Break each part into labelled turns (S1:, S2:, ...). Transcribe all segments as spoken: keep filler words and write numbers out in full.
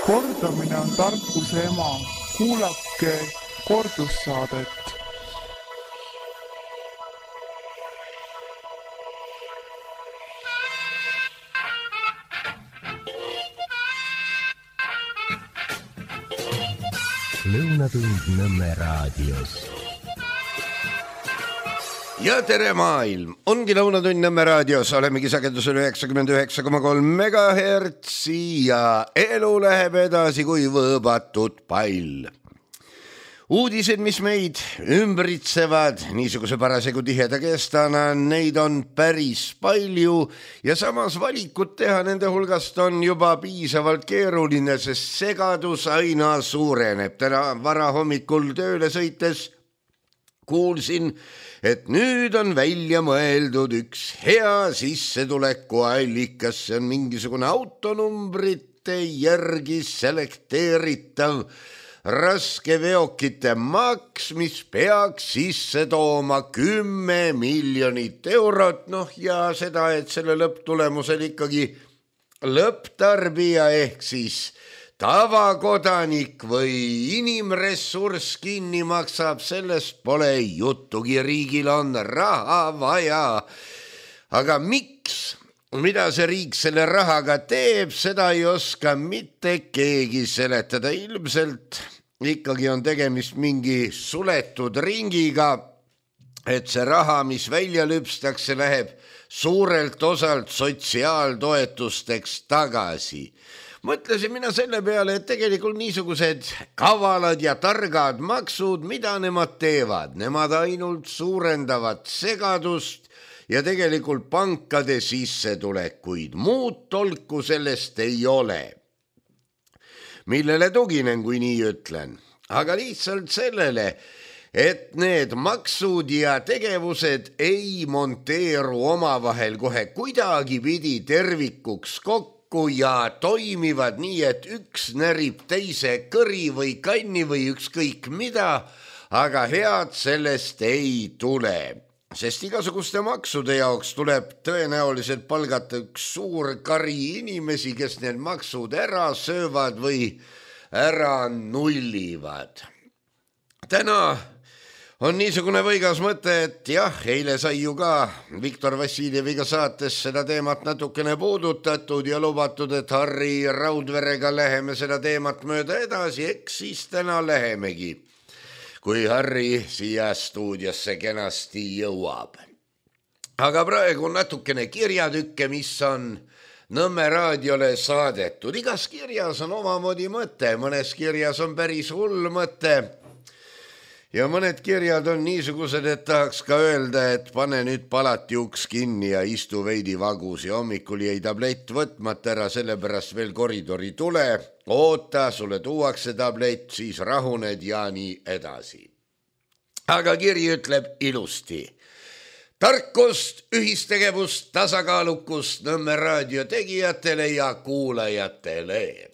S1: Kordamine on tarkuse ema. Kuulake kordussaadet.
S2: Lõunatund Nõmme raadios.
S3: Ja tere maailm! Ongi Lõunatund Nõmme raadios. Olemegi sagedusel üheksakümmend üheksa koma kolm megahertsi ja elu läheb edasi kui võõbatud pall. Uudised, mis meid ümbritsevad niisuguse parasegu tiheda kestana, neid on päris palju ja samas valikut teha nende hulgast on juba piisavalt keeruline, sest segadus aina suureneb. Täna vara hommikul tööle sõites kuulsin, et nüüd on välja mõeldud üks hea sissetuleku allikas. See on mingisugune autonumbrite järgi selekteeritav raskeveokite maks, mis peaks sisse tooma kümme miljonit eurot. Noh ja seda, et selle lõpptulemusel ikkagi lõpptarbija ehk siis tavakodanik või inimressurss kinni maksab, sellest pole juttugi, riigil on raha vaja. Aga miks? Mida see riik selle rahaga teeb, seda ei oska mitte keegi seletada. Ilmselt ikkagi on tegemist mingi suletud ringiga, et see raha, mis välja lüpstakse, läheb suurelt osalt sotsiaaltoetusteks tagasi. Mõtlesin mina selle peale, et tegelikult niisugused kavalad ja targad maksud, mida nemad teevad? Nemad ainult suurendavad segadust ja tegelikult pankade sissetulekuid. Muud tolku sellest ei ole. Millele tuginen, kui nii ütlen? Aga lihtsalt sellele, et need maksud ja tegevused ei monteeru omavahel kohe kuidagi pidi tervikuks kokku ja toimivad nii, et üks närib teise kõri või kanni või ükskõik mida, aga head sellest ei tule. Sest igasuguste maksude jaoks tuleb tõenäoliselt palgata üks suur kari inimesi, kes need maksud ära söövad või ära nullivad. Täna on niisugune võigas mõte, et jah, eile sai ju ka Viktor Vassiljeviga saates seda teemat natukene puudutatud ja lubatud, et Harri Raudverega läheme seda teemat mööda edasi, eks siis täna lähemegi, kui Harri siia stuudiosse kenasti jõuab. Aga praegu natukene kirjatükke, mis on Nõmme raadiole saadetud. Igas kirjas on omamoodi mõte, mõnes kirjas on päris hull mõte ja mõned kirjad on niisugused, et tahaks ka öelda, et pane nüüd palati uks kinni ja istu veidi vagus ja hommikul jäi tablett võtmata ära, sellepärast veel koridori tule, oota, sulle tuuakse tablett, siis rahuned ja nii edasi. Aga kiri ütleb ilusti. Tarkust, ühistegevust, tasakaalukust Nõmme raadio tegijatele ja kuulajatele.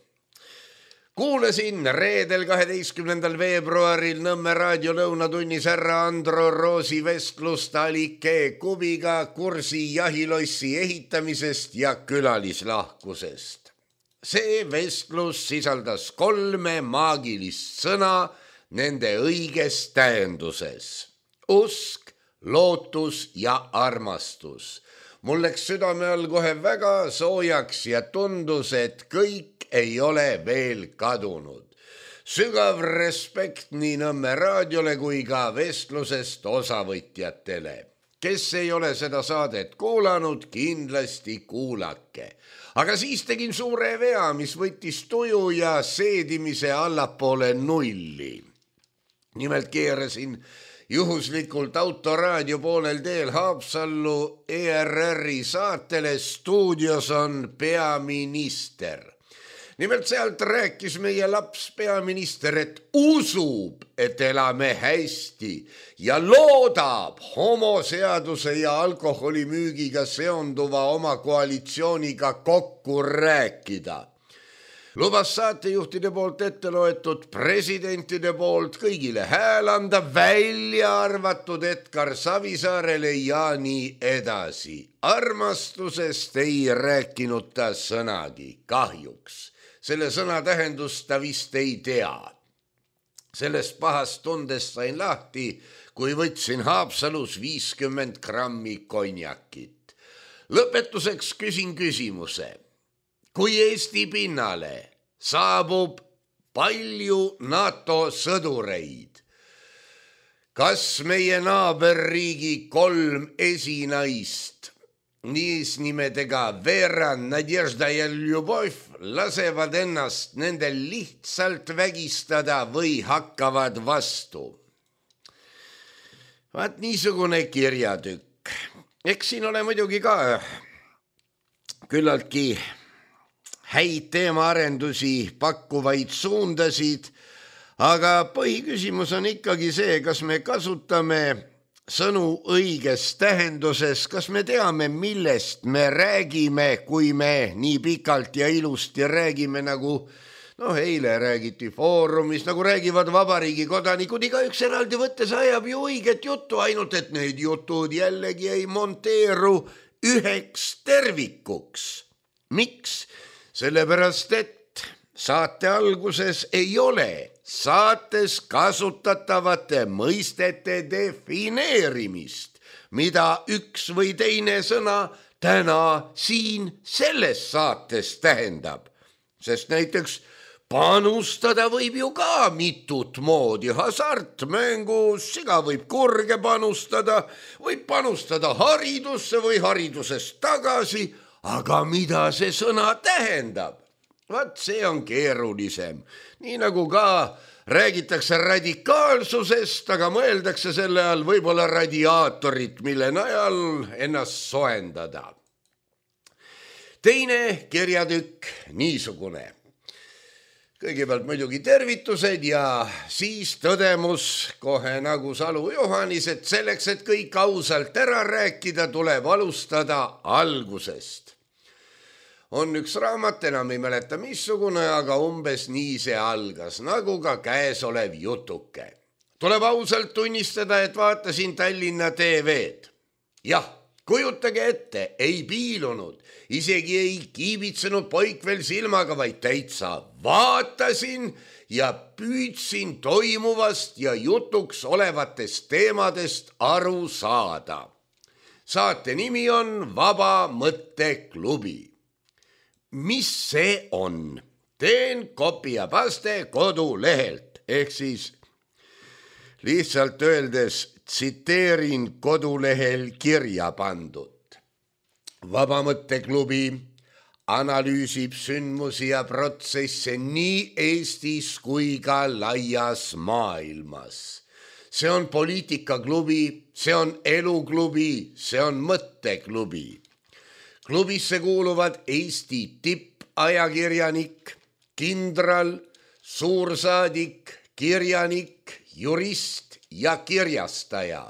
S3: Kuulasin reedel kaheteistkümnendal veebruaril Nõmme raadio lõunatunnis härra Andro Roosi vestlust Alike Kubiga kursi jahilossi ehitamisest ja külalislahkusest. See vestlus sisaldas kolme maagilist sõna nende õiges tähenduses. Usk, lootus ja armastus. Mul läks südame all kohe väga soojaks ja tundus, et kõik ei ole veel kadunud. Sügav respekt nii Nõmme raadiole kui ka vestlusest osavõtjatele. Kes ei ole seda saadet kuulanud, kindlasti kuulake. Aga siis tegin suure vea, mis võttis tuju ja seedimise allapoole nulli. Nimelt keerasin juhuslikult autoraadio poolel teel Haapsallu E R R-i saatele Stuudios on peaminister. Nimelt sealt rääkis meie laps peaminister, et usub, et elame hästi ja loodab homoseaduse ja alkoholimüügiga seonduva oma koalitsiooniga kokku rääkida. Lubas saatejuhtide poolt ette loetud presidentide poolt kõigile hääl anda, välja arvatud Edgar Savisaarele ja nii edasi. Armastusest ei rääkinud ta sõnagi, kahjuks. selle sõna tähendust ta vist ei tea. Sellest pahast tundest sain lahti, kui võtsin Haapsalus viiskümmend grammi konjakit. Lõpetuseks küsin küsimuse. Kui Eesti pinnale saabub palju NATO sõdureid, kas meie naaberriigi kolm esinaist, niis nimedega Vera, Nadežda ja Ljubov, lasevad ennast nendel lihtsalt vägistada või hakkavad vastu? Vaat niisugune kirjatükk. Eks siin ole muidugi ka küllaltki häid teemaarendusi pakkuvaid suundasid, aga põhiküsimus on ikkagi see, kas me kasutame sõnu õiges tähenduses, kas me teame, millest me räägime, kui me nii pikalt ja ilusti räägime, nagu noh, eile räägiti foorumis, nagu räägivad vabariigi kodanikud, igaüks eraldi võttes ajab ju õiget juttu, ainult et need jutud jällegi ei monteeru üheks tervikuks. Miks? Sellepärast, et saate alguses ei ole saates kasutatavate mõistete defineerimist, mida üks või teine sõna täna siin selles saates tähendab. Sest näiteks panustada võib ju ka mitut moodi, hasartmängus, siga võib kurge panustada, võib panustada haridusse või haridusest tagasi, aga mida see sõna tähendab? Vaat see on keerulisem. Nii nagu ka räägitakse radikaalsusest, aga mõeldakse selle all võib-olla radiaatorit, mille najal ennast soendada. Teine kirjatükk niisugune. Kõigepealt muidugi tervitused ja siis tõdemus kohe nagu Salu Johannis, et selleks, et kõik ausalt ära rääkida, tuleb alustada algusest. On üks raamat, enam ei mäleta missugune, aga umbes nii see algas, nagu ka käesolev jutuke. Tuleb ausalt tunnistada, et vaatasin Tallinna T V-d. Jah, kujutage ette, ei piilunud, isegi ei kiibitsenud poik veel silmaga, vaid täitsa vaatasin ja püüdsin toimuvast ja jutuks olevatest teemadest aru saada. Saate nimi on Vaba Mõtteklubi. Mis see on? Teen kopi ja paste kodulehelt, ehk siis lihtsalt öeldes tsiteerin kodulehel kirja pandud. Vaba Mõtteklubi analüüsib sündmusi ja protsesse nii Eestis kui ka laias maailmas. See on poliitikaklubi, see on eluklubi, see on mõtteklubi. Klubisse kuuluvad Eesti tippajakirjanik, kindral, suursaadik, kirjanik, jurist ja kirjastaja.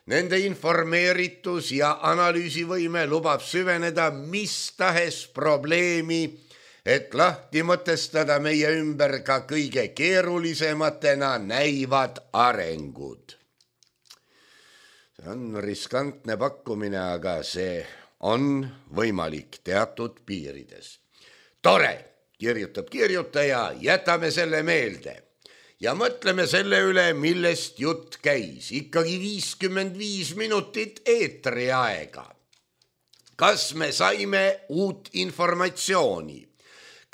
S3: Nende informeeritus ja analüüsivõime lubab süveneda mis tahes probleemi, et lahti mõtestada meie ümber ka kõige keerulisematena näivad arengud. See on riskantne pakkumine, aga see on võimalik teatud piirides. Tore, kirjutab kirjutaja, jätame selle meelde ja mõtleme selle üle, millest jutt käis. Ikkagi viiskümmend viis minutit eetri aega. Kas me saime uut informatsiooni?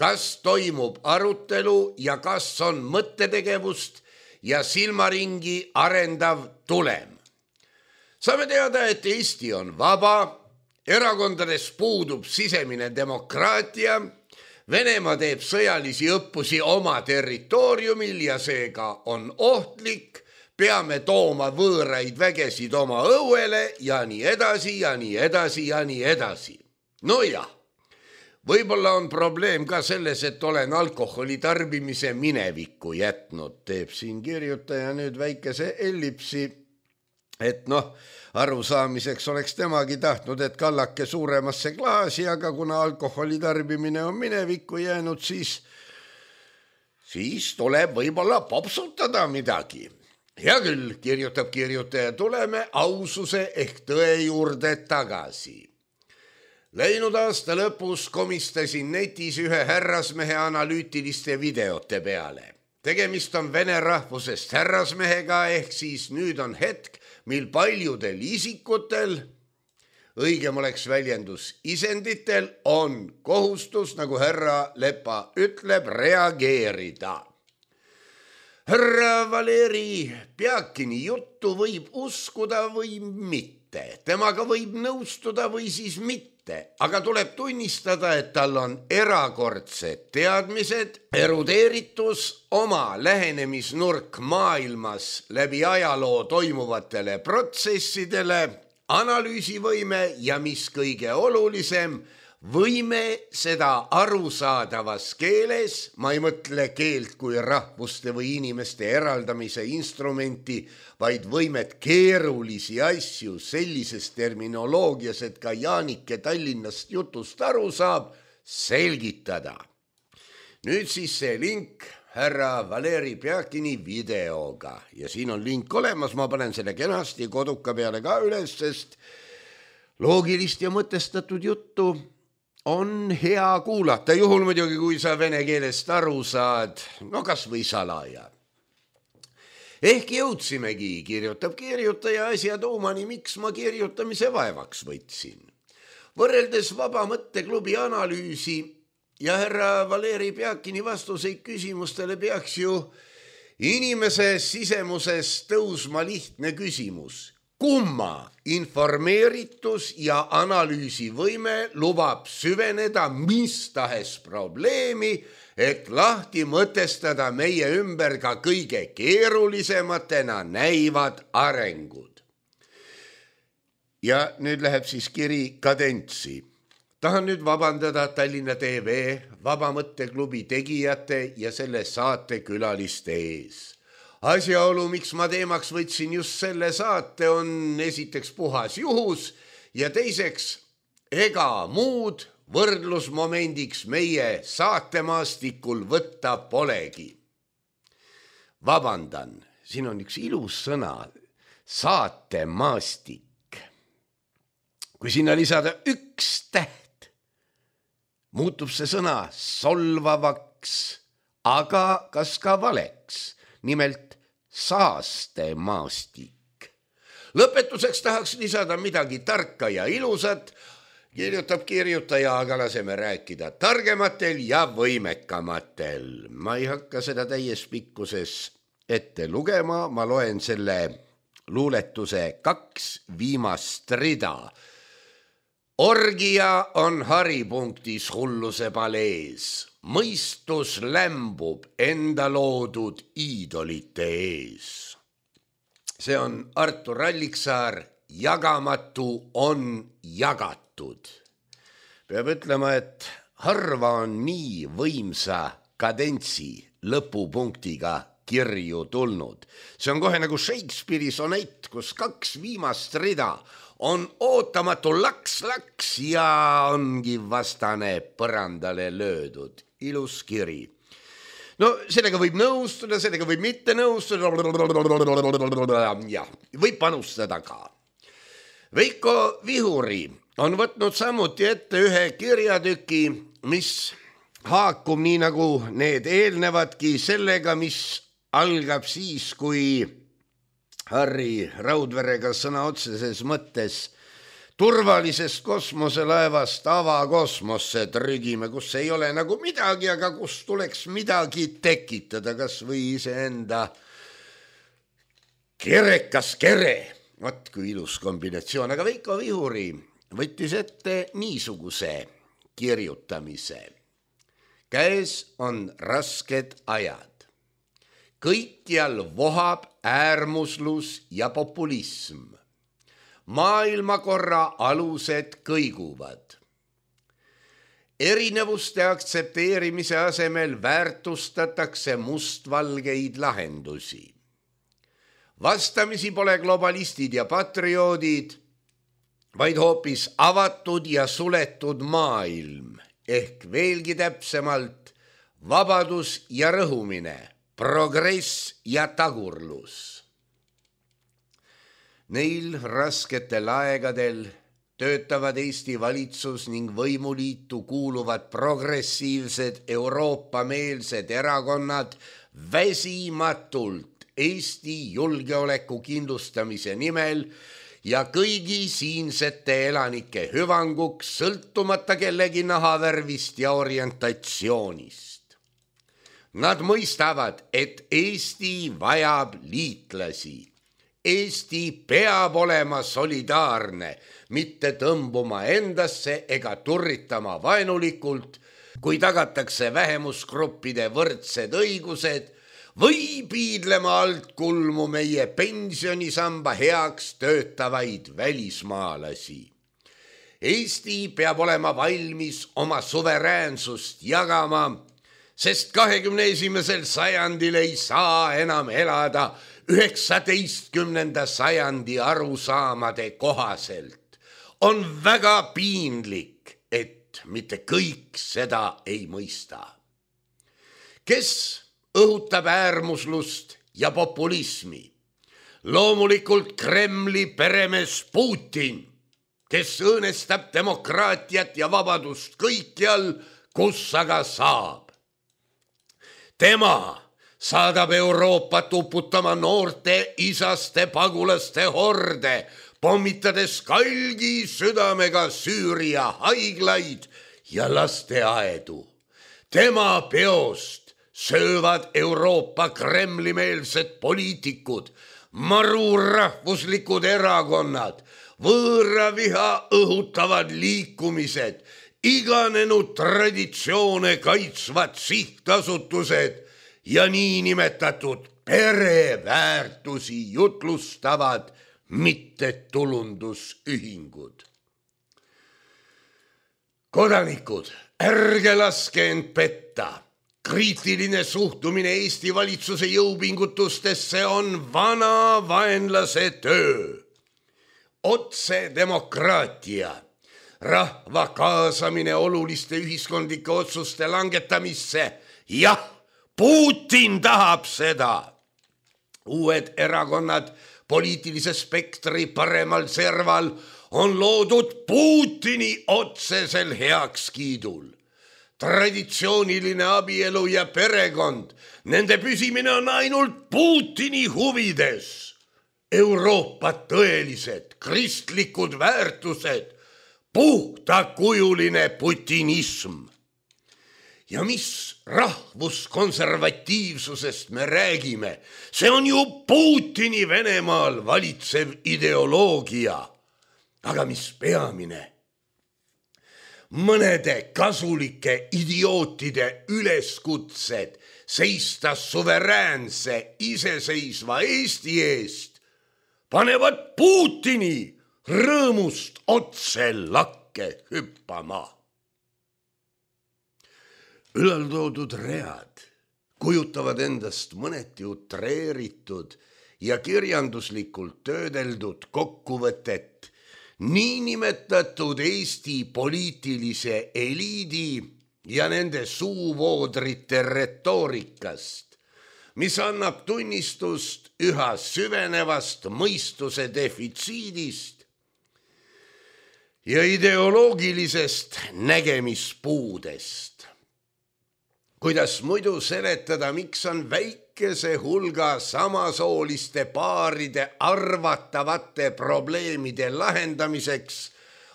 S3: Kas toimub arutelu ja kas on mõttetegevust ja silmaringi arendav tulem? Saame teada, et Eesti on vaba, erakondades puudub sisemine demokraatia, Venemaa teeb sõjalisi õppusi oma territooriumil ja seega on ohtlik, peame tooma võõraid vägesid oma õuele ja nii edasi ja nii edasi ja nii edasi. No jah, võib-olla on probleem ka selles, et olen alkoholi tarbimise minevikku jätnud, teeb siin kirjutaja nüüd väikese ellipsi, et noh, arusaamiseks oleks temagi tahtnud, et kallake suuremasse klaasi, aga kuna alkoholi tarbimine on minevikku jäänud, siis, siis tuleb võib-olla popsutada midagi. Hea küll, kirjutab kirjutaja, tuleme aususe ehk tõe juurde tagasi. Läinud aasta lõpus komistasin netis ühe härrasmehe analüütiliste videote peale. Tegemist on vene rahvusest härrasmehega, ehk siis nüüd on hetk, mil paljudel isikutel, õigem oleks väljendus isenditel, on kohustus, nagu härra Lepa ütleb, reageerida. Härra Valeri Pjakini juttu võib uskuda või mitte. Temaga võib nõustuda või siis mitte. Aga tuleb tunnistada, et tal on erakordsed teadmised, erudeeritus, oma lähenemisnurk maailmas läbi ajaloo toimuvatele protsessidele, analüüsivõime ja mis kõige olulisem, võime seda arusaadavas keeles, ma ei mõtle keelt kui rahvuste või inimeste eraldamise instrumenti, vaid võimet keerulisi asju sellises terminoloogias, et ka Jaanike Tallinnast jutust aru saab, selgitada. Nüüd siis see link härra Valeri Pjakini videoga ja siin on link olemas, ma panen selle kenasti koduka peale ka üles, sest loogilist ja mõtestatud juttu on hea kuulata, juhul muidugi, kui sa vene keelest aru saad, no kas või salaja. Ehk jõudsimegi, kirjutab kirjutaja asja tuumani, miks ma kirjutamise vaevaks võtsin. Võrreldes Vaba Mõtteklubi analüüsi ja härra Valeri Pjakini vastuseid küsimustele peaks ju inimese sisemuses tõusma lihtne küsimus. Kumma informeeritus ja analüüsivõime lubab süveneda mis tahes probleemi, et lahti mõtestada meie ümber ka kõige keerulisematena näivad arengud. Ja nüüd läheb siis kiri kadentsi. Tahan nüüd vabandada Tallinna T V, Vaba Mõtteklubi tegijate ja selle saate külaliste ees. Asjaolu, miks ma teemaks võtsin just selle saate, on esiteks puhas juhus ja teiseks ega muud võrdlusmomendiks meie saatemaastikul võtta polegi. Vabandan, siin on üks ilus sõna, saatemaastik. Kui sinna lisada üks täht, muutub see sõna solvavaks, aga kas ka valeks, nimelt saastemaastik. Lõpetuseks tahaks lisada midagi tarka ja ilusat, kirjutab kirjutaja, aga laseme rääkida targematel ja võimekamatel. Ma ei hakka seda täies pikkuses ette lugema, ma loen selle luuletuse kaks viimast rida. Orgia on haripunktis hulluse palees. Mõistus lämbub enda loodud iidolite ees. See on Artur Alliksaar, jagamatu on jagatud. Peab ütlema, et harva on nii võimsa kadentsi lõpupunktiga kirju tulnud. See on kohe nagu Shakespeare'i sonett, kus kaks viimast rida on ootamatu laks-laks ja ongi vastane põrandale löödud. Ilus kiri. No sellega võib nõustuda, sellega võib mitte nõustuda ja võib panustada ka. Veiko Vihuri on võtnud samuti ette ühe kirjatüki, mis haakub nii nagu need eelnevadki sellega, mis algab siis, kui Harri Raudverega sõna otseses mõttes turvalisest kosmoselaevast avakosmosse trügime, kus ei ole nagu midagi, aga kus tuleks midagi tekitada, kas või iseenda kerekas kere. Vat kui ilus kombinatsioon, aga Veiko Vihuri võttis ette niisuguse kirjutamise. Käes on rasked ajad. Kõikjal vohab äärmuslus ja populism. Maailmakorra alused kõiguvad. Erinevuste aktsepteerimise asemel väärtustatakse mustvalgeid lahendusi. Vastamisi pole globalistid ja patrioodid, vaid hoopis avatud ja suletud maailm, ehk veelgi täpsemalt vabadus ja rõhumine, progress ja tagurlus. Neil rasketel aegadel töötavad Eesti valitsus ning võimuliitu kuuluvad progressiivsed Euroopa-meelsed erakonnad väsimatult Eesti julgeoleku kindlustamise nimel ja kõigi siinsete elanike hüvanguks sõltumata kellegi nahavärvist ja orientatsioonist. Nad mõistavad, et Eesti vajab liitlasi. Eesti peab olema solidaarne, mitte tõmbuma endasse ega turritama vaenulikult, kui tagatakse vähemusgruppide võrdsed õigused või piidlema alt kulmu meie pensionisamba heaks töötavaid välismaalasi. Eesti peab olema valmis oma suveräänsust jagama, sest kahekümne esimesel sajandil ei saa enam elada üheksateistkümnenda sajandi arusaamade kohaselt. On väga piinlik, et mitte kõik seda ei mõista. Kes õhutab äärmuslust ja populismi? Loomulikult Kremli peremees Putin, kes õõnestab demokraatiat ja vabadust kõikjal, kus aga saab. Tema saadab Euroopat uputama noorte isaste pagulaste horde, pommitades kalgi südamega Süüria haiglaid ja lasteaedu. Tema peost söövad Euroopa Kremli-meelsed poliitikud, marurahvuslikud erakonnad, võõraviha õhutavad liikumised, iganenud traditsioone kaitsvad sihtasutused ja niinimetatud pereväärtusi jutlustavad mittetulundusühingud. Kodanikud, ärge laske end petta. Kriitiline suhtumine Eesti valitsuse jõupingutustesse on vana vaenlase töö. Otse demokraatia. Rahva kaasamine oluliste ühiskondlike otsuste langetamisse. Jah, Putin tahab seda. Uued erakonnad poliitilise spektri paremal serval on loodud Putini otsesel heakskiidul. Traditsiooniline abielu ja perekond, nende püsimine on ainult Putini huvides. Euroopa tõelised kristlikud väärtused, puhtakujuline putinism. Ja mis rahvuskonservatiivsusest me räägime? See on ju Putini Venemaal valitsev ideoloogia. Aga mis peamine? Mõnede kasulike idiootide üleskutsed seista suveräänse iseseisva Eesti eest panevad Putini rõõmust otse lakke hüppama. Ülaltoodud read kujutavad endast mõneti utreeritud ja kirjanduslikult töödeldud kokkuvõtet niinimetatud Eesti poliitilise eliidi ja nende suuvoodrite retoorikast, mis annab tunnistust üha süvenevast mõistuse defitsiidist ja ideoloogilisest nägemispuudest. Kuidas muidu seletada, miks on väikese hulga samasooliste paaride arvatavate probleemide lahendamiseks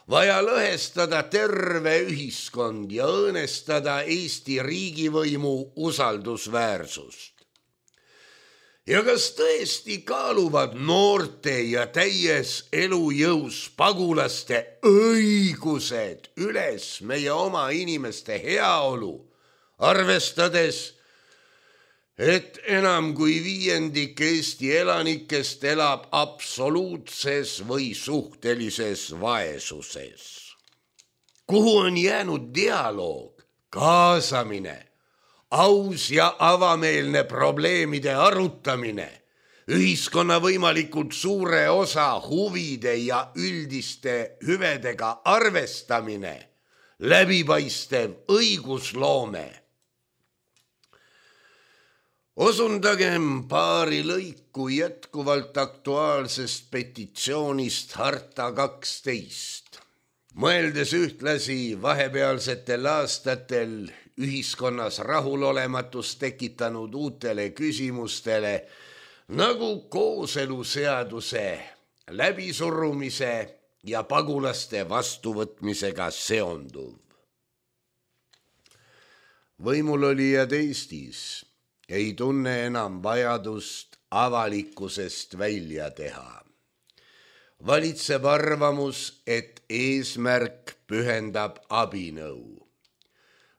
S3: vaja lõhestada terve ühiskond ja õõnestada Eesti riigivõimu usaldusväärsust? Ja kas tõesti kaaluvad noorte ja täies elujõus pagulaste õigused üles meie oma inimeste heaolu, arvestades, et enam kui viiendik Eesti elanikest elab absoluutses või suhtelises vaesuses? Kuhu on jäänud dialoog, kaasamine, aus ja avameelne probleemide arutamine, ühiskonna võimalikult suure osa huvide ja üldiste hüvedega arvestamine, läbipaistev õigusloome? Osundagem paari lõiku jätkuvalt aktuaalsest petitsioonist Harta kaksteist, mõeldes ühtlasi vahepealsetel aastatel ühiskonnas rahulolematust tekitanud uutele küsimustele nagu kooseluseaduse läbisurumise ja pagulaste vastuvõtmisega seonduv. Võimulolijad Eestis ei tunne enam vajadust avalikkusest välja teha. Valitseb arvamus, et eesmärk pühendab abinõu.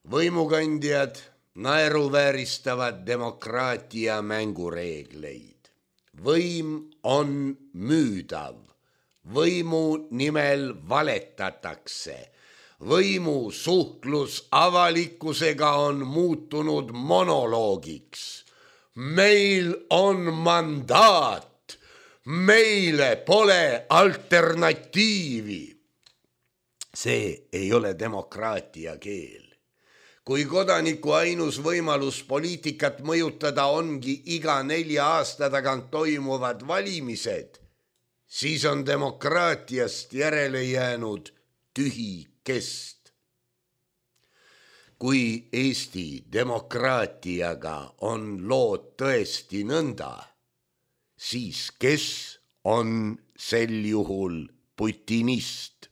S3: Võimukandjad naeruvääristavad demokraatia mängureegleid. Võim on müüdav. Võimu nimel valetatakse. Võimu suhtlus avalikkusega on muutunud monoloogiks. Meil on mandaat. Meile pole alternatiivi. See ei ole demokraatia keel. Kui kodaniku ainus võimalus poliitikat mõjutada ongi iga nelja aasta tagant toimuvad valimised, siis on demokraatiast järele jäänud tühi kest. Kui Eesti demokraatiaga on lood tõesti nõnda, siis kes on sel juhul putinist?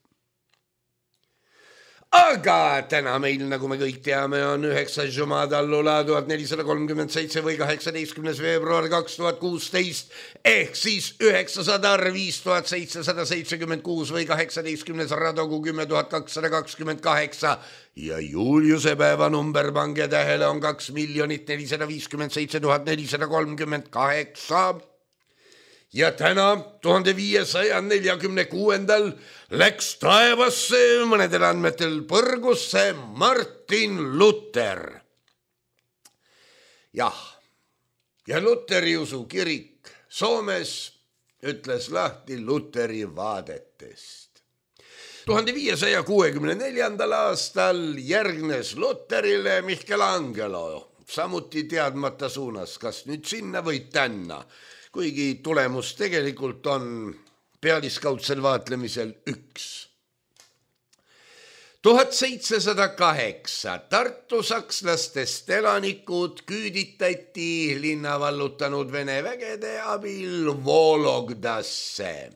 S3: Aga täna meil, nagu me kõik teame, on üheksas Jumadallula tuhat nelisada kolmkümmend seitse või kaheksateistkümnes veebruar kaks tuhat kuusteist ehk siis üheksasada viis tuhat seitsesada seitsekümmend kuus või kaheksateistkümnes Radogu kümme tuhat kakssada kakskümmend kaheksa ja Juliuse päevanumber, pange tähele, on kaks miljonit nelisada viiskümmend seitse tuhat nelisada kolmkümmend kaheksa. Ja täna tuhande viiesaja neljakümne kuuendal läks taevasse mõnedel andmetel põrgusse Martin Luther. Jah, ja Luteri usu kirik Soomes ütles lahti Luteri vaadetest. tuhande viiesaja kuuekümne neljandal aastal järgnes Luterile Michelangelo, samuti teadmata suunas, kas nüüd sinna või tänna, kuigi tulemus tegelikult on pealiskaudsel vaatlemisel üks. tuhat seitsesada kaheksa Tartu sakslastest elanikud küüditati linna vallutanud Vene vägede abil Vologdasse.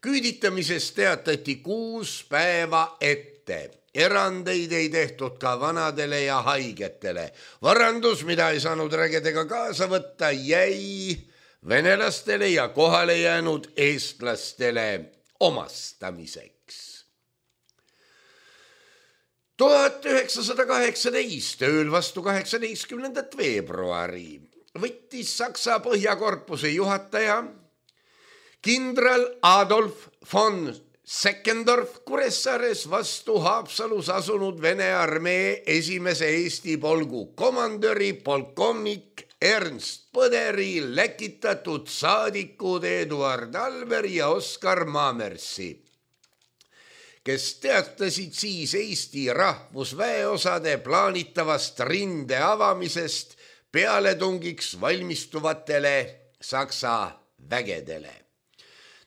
S3: Küüditamisest teatati kuus päeva ette. Erandeid ei tehtud ka vanadele ja haigetele. Varandus, mida ei saanud rägedega kaasa võtta, jäi venelastele ja kohale jäänud eestlastele omastamiseks. tuhat üheksasada kaheksateist ööl vastu kaheksateistkümnendat veebruari võttis Saksa põhjakorpuse juhataja kindral Adolf von Seckendorf Kuressaares vastu Haapsalus asunud Vene armee esimese Eesti polgu komandöri polkovnik Ernst Põderi läkitatud saadikud Eduard Alver ja Oskar Maamersi, kes teatasid siis Eesti rahvusväeosade plaanitavast rinde avamisest pealetungiks valmistuvatele Saksa vägedele.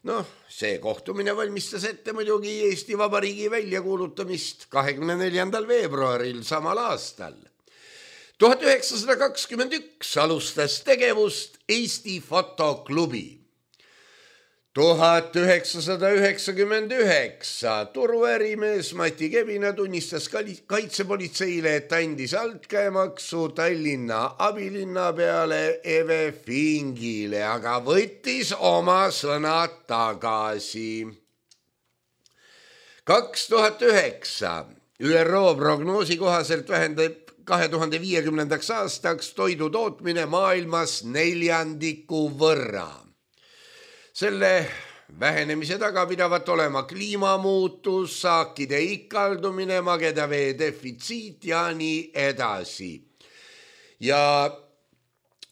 S3: Noh, see kohtumine valmistas ette muidugi Eesti Vabariigi väljakuulutamist kahekümne neljandal veebruaril samal aastal. tuhat üheksasada kakskümmend üks alustas tegevust Eesti Fotoklubi. tuhat üheksasada üheksakümmend üheksa turuärimees Mati Kebina tunnistas kaitsepolitseile, et andis altkäemaksu Tallinna abilinna peale Eve Fingile, aga võttis oma sõnad tagasi. kaks tuhat üheksa Ü R O prognoosi kohaselt vähendab kahe tuhande viiekümnendaks aastaks toidu tootmine maailmas neljandiku võrra. Selle vähenemise taga pidavat olema kliimamuutus, saakide ikaldumine, magedavee defitsiit ja nii edasi. Ja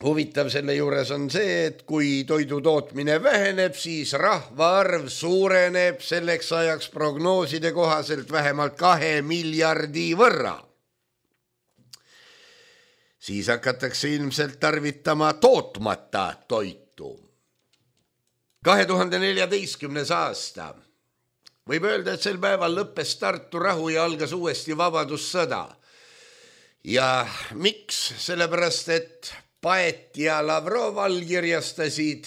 S3: huvitav selle juures on see, et kui toidu tootmine väheneb, siis rahvaarv suureneb selleks ajaks prognooside kohaselt vähemalt kahe miljardi võrra. Siis hakatakse ilmselt tarvitama tootmata toitu. kahe tuhande neljateistkümnes aasta võib öelda, et sel päeval lõppes Tartu rahu ja algas uuesti vabadussõda. Ja miks? Sellepärast, et Paet ja Lavrov allkirjastasid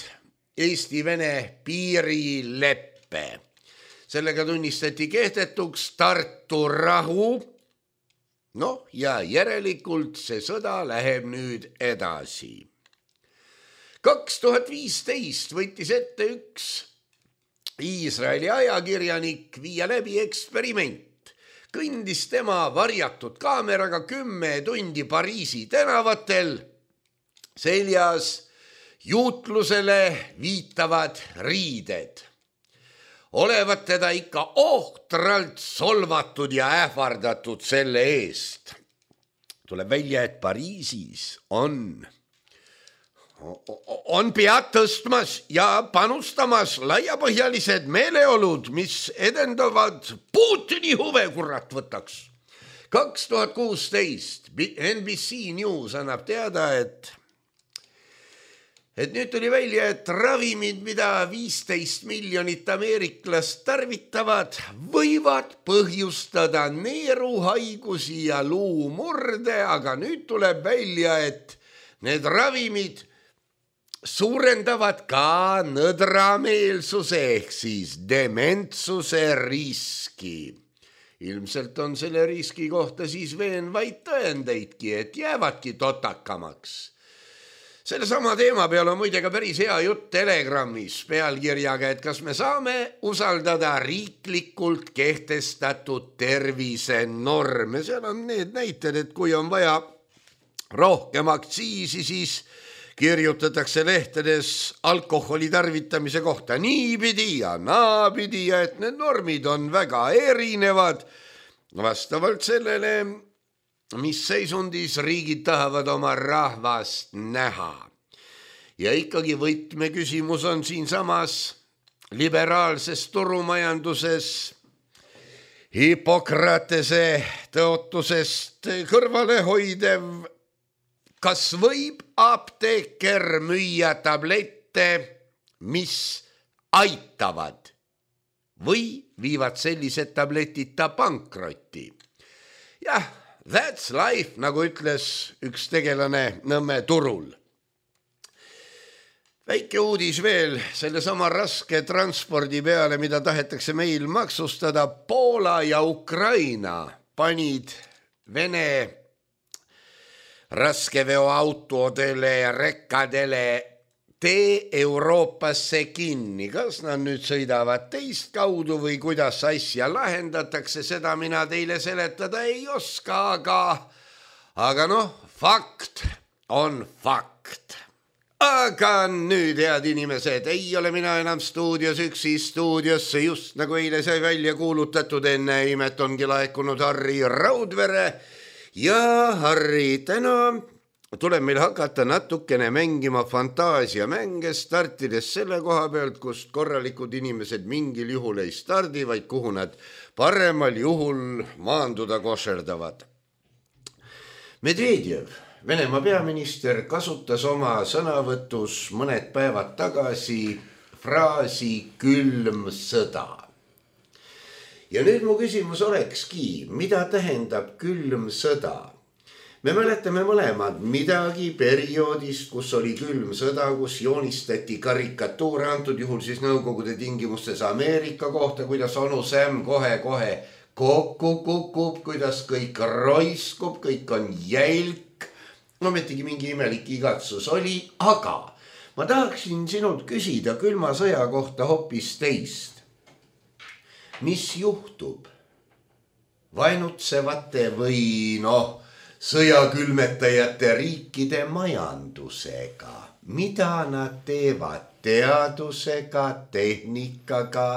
S3: Eesti-Vene piirileppe. Sellega tunnistati kehtetuks Tartu rahu. Noh, ja järelikult see sõda läheb nüüd edasi. kaks tuhat viisteist võttis ette üks Iisraeli ajakirjanik viia läbi eksperiment. Kõndis tema varjatud kaameraga kümme tundi Pariisi tänavatel, seljas juutlusele viitavad riided. Olevat teda ikka ohtralt solvatud ja ähvardatud selle eest. Tuleb välja, et Pariisis on on pead tõstmas ja panustamas laiapõhjalised meeleolud, mis edendavad Putini huve, kurat võtaks. kaks tuhat kuusteist N B C News annab teada, et et nüüd tuli välja, et ravimid, mida viisteist miljonit ameeriklast tarvitavad, võivad põhjustada neeruhaigusi ja luumurde, aga nüüd tuleb välja, et need ravimid suurendavad ka nõdrameelsuse ehk siis dementsuse riski. Ilmselt on selle riski kohta siis veenvaid tõendeidki, et jäävadki totakamaks. Selle sama teema peal on muide ka päris hea jutt Telegrammis pealkirjaga, et kas me saame usaldada riiklikult kehtestatud tervisenorme. Seal on need näited, et kui on vaja rohkem aktsiisi, siis kirjutatakse lehtedes alkoholi tarvitamise kohta niipidi ja naapidi ja et need normid on väga erinevad vastavalt sellele, mis seisundis riigid tahavad oma rahvast näha. Ja ikkagi võtmeküsimus on siinsamas liberaalses turumajanduses Hippokratese tõotusest kõrvale hoidev. Kas võib apteeker müüa tablette, mis aitavad või viivad sellised tabletita pankrotti? Jah, that's life, nagu ütles üks tegelane Nõmme turul. Väike uudis veel selle sama raske transpordi peale, mida tahetakse meil maksustada. Poola ja Ukraina panid Vene raskeveoautodele ja rekkadele tee Euroopasse kinni. Kas nad nüüd sõidavad teist kaudu või kuidas asja lahendatakse, seda mina teile seletada ei oska, aga, aga noh, fakt on fakt. Aga nüüd, head inimesed, ei ole mina enam stuudios üksi. Stuudiosse just nagu eile sai välja kuulutatud, enne imet ongi laekunud Harri Raudvere. Ja Harri, täna tuleb meil hakata natukene mängima fantaasiamänge, startides selle koha pealt, kust korralikud inimesed mingil juhul ei stardi, vaid kuhu nad paremal juhul maanduda košerdavad. Medvedjev, Venemaa peaminister, kasutas oma sõnavõtus mõned päevad tagasi fraasi külm sõda. Ja nüüd mu küsimus olekski, mida tähendab külm sõda? Me mäletame mõlemad midagi perioodist, kus oli külm sõda, kus joonistati karikatuure, antud juhul siis Nõukogude tingimustes Ameerika kohta, kuidas onu Sam kohe-kohe kokku kukub, kuidas kõik roiskub, kõik on jälk. No metigi mingi imelik igatsus oli, aga ma tahaksin sinult küsida külma sõja kohta hoopis teist. Mis juhtub vaenutsevate või noh, sõjakülmetajate riikide majandusega? Mida nad teevad teadusega, tehnikaga,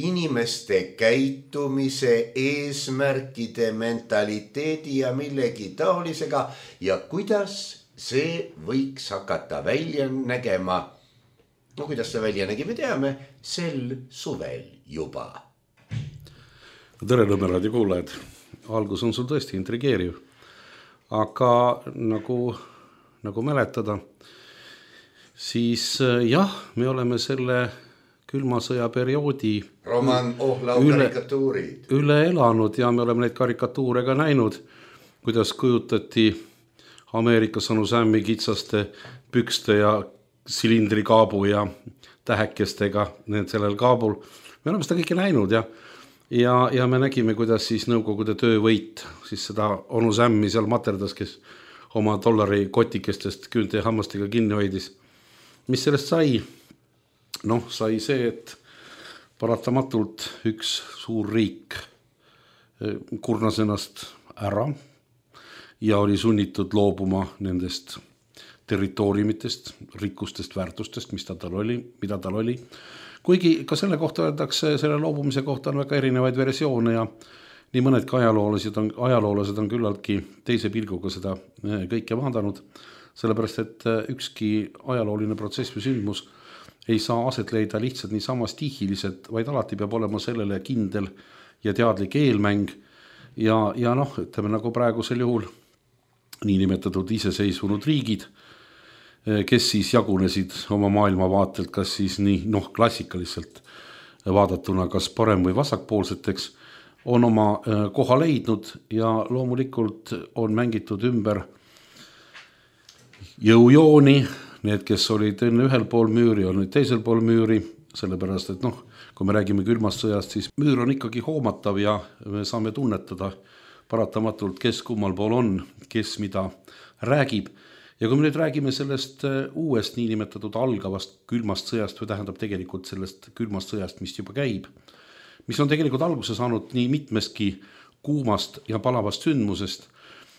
S3: inimeste käitumise, eesmärkide, mentaliteedi ja millegi taolisega ja kuidas see võiks hakata välja nägema? No kuidas see välja nägi, me teame, sel suvel juba.
S4: Tere Nõmme kuulajad, algus on sul tõesti intrigeeriv, aga nagu, nagu mäletada, siis jah, me oleme selle külma sõja perioodi
S3: Roman Ohlau
S4: üle,
S3: karikatuurid.
S4: Üle elanud ja me oleme neid karikatuure ka näinud, kuidas kujutati Ameerika Sanu Sammi kitsaste pükste ja silindrikaabu ja tähekestega need sellel kaabul. Me oleme seda kõike näinud ja Ja, ja me nägime, kuidas siis nõukogude töövõit, siis seda onu Sämmi seal materdas, kes oma dollari kotikestest küünte ja hammastega kinni hoidis. Mis sellest sai? Noh, sai see, et paratamatult üks suur riik kurnas ennast ära ja oli sunnitud loobuma nendest territooriumitest, rikkustest, väärtustest, mis tal oli, mida tal oli. Kuigi ka selle kohta öeldakse, selle loobumise kohta on väga erinevaid versioone ja nii mõnedki ajaloolased on, ajaloolased on küllaltki teise pilguga seda kõike vaadanud, sellepärast et ükski ajalooline protsess või sündmus ei saa aset leida lihtsalt niisama stihiliselt, vaid alati peab olema sellele kindel ja teadlik eelmäng ja, ja noh, ütleme nagu praegusel juhul niinimetatud iseseisvunud riigid, kes siis jagunesid oma maailmavaatelt, kas siis nii noh, klassikaliselt vaadatuna, kas parem- või vasakpoolseteks, on oma koha leidnud ja loomulikult on mängitud ümber jõujooni, need, kes olid enne ühel pool müüri, on nüüd teisel pool müüri, sellepärast, et noh, kui me räägime külmast sõjast, siis müür on ikkagi hoomatav ja me saame tunnetada paratamatult, kes kummal pool on, kes mida räägib. Ja kui me nüüd räägime sellest uuest niinimetatud algavast külmast sõjast või tähendab tegelikult sellest külmast sõjast, mis juba käib, mis on tegelikult alguse saanud nii mitmestki kuumast ja palavast sündmusest,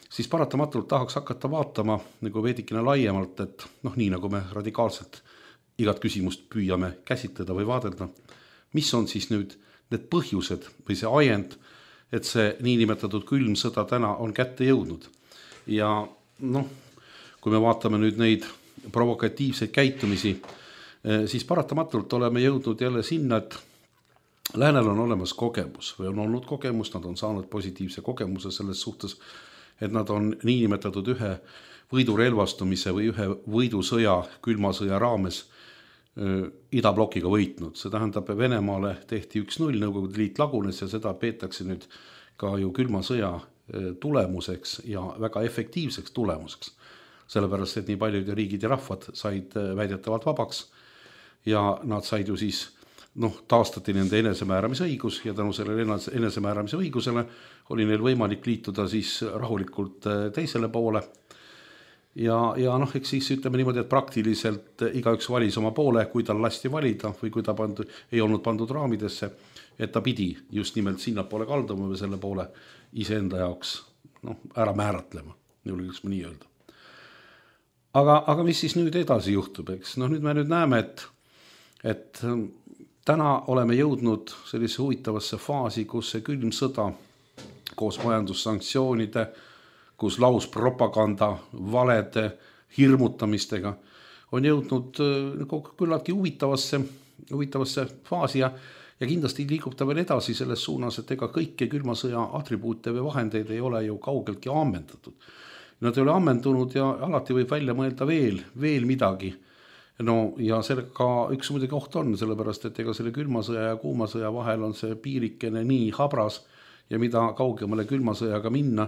S4: siis paratamatult tahaks hakata vaatama nagu veidikene laiemalt, et noh, nii nagu me radikaalselt igat küsimust püüame käsitleda või vaadelda, mis on siis nüüd need põhjused või see ajend, et see niinimetatud külm sõda täna on kätte jõudnud. Ja noh, kui me vaatame nüüd neid provokatiivseid käitumisi, siis paratamatult oleme jõudnud jälle sinna, et läänel on olemas kogemus või on olnud kogemus, nad on saanud positiivse kogemuse selles suhtes, et nad on niinimetatud ühe võidurelvastumise või ühe võidusõja, külmasõja raames idablokiga võitnud. See tähendab, Venemaale tehti üks null, Nõukogude Liit lagunes ja seda peetakse nüüd ka ju külmasõja tulemuseks ja väga efektiivseks tulemuseks. Sellepärast, et nii paljud riigid ja rahvad said väidetavalt vabaks ja nad said ju siis, noh, taastati nende enesemääramise õigus ja tänu sellele enesemääramise õigusele oli neil võimalik liituda siis rahulikult teisele poole. Ja, ja noh, eks siis ütleme niimoodi, et praktiliselt igaüks valis oma poole, kui tal lasti valida või kui ta pandu, ei olnud pandud raamidesse, et ta pidi just nimelt sinna poole kalduma või selle poole iseenda jaoks noh, ära määratlema, julgeks ma nii öelda. Aga, aga mis siis nüüd edasi juhtub, eks? No nüüd me nüüd näeme, et, et täna oleme jõudnud sellise huvitavasse faasi, kus see külm sõda koos majandussanktsioonide, kus lauspropaganda, valede, hirmutamistega on jõudnud küllaltki huvitavasse, huvitavasse faasi ja, ja kindlasti liigub ta veel edasi selles suunas, et ega kõike külmasõja atribuute või vahendeid ei ole ju kaugeltki ammendatud. Nad ei ole ammendunud ja alati võib välja mõelda veel, veel midagi. No ja sellega üks muidugi oht on, sellepärast, et ega selle külmasõja ja kuumasõja vahel on see piirikene nii habras ja mida kaugemale külmasõjaga minna,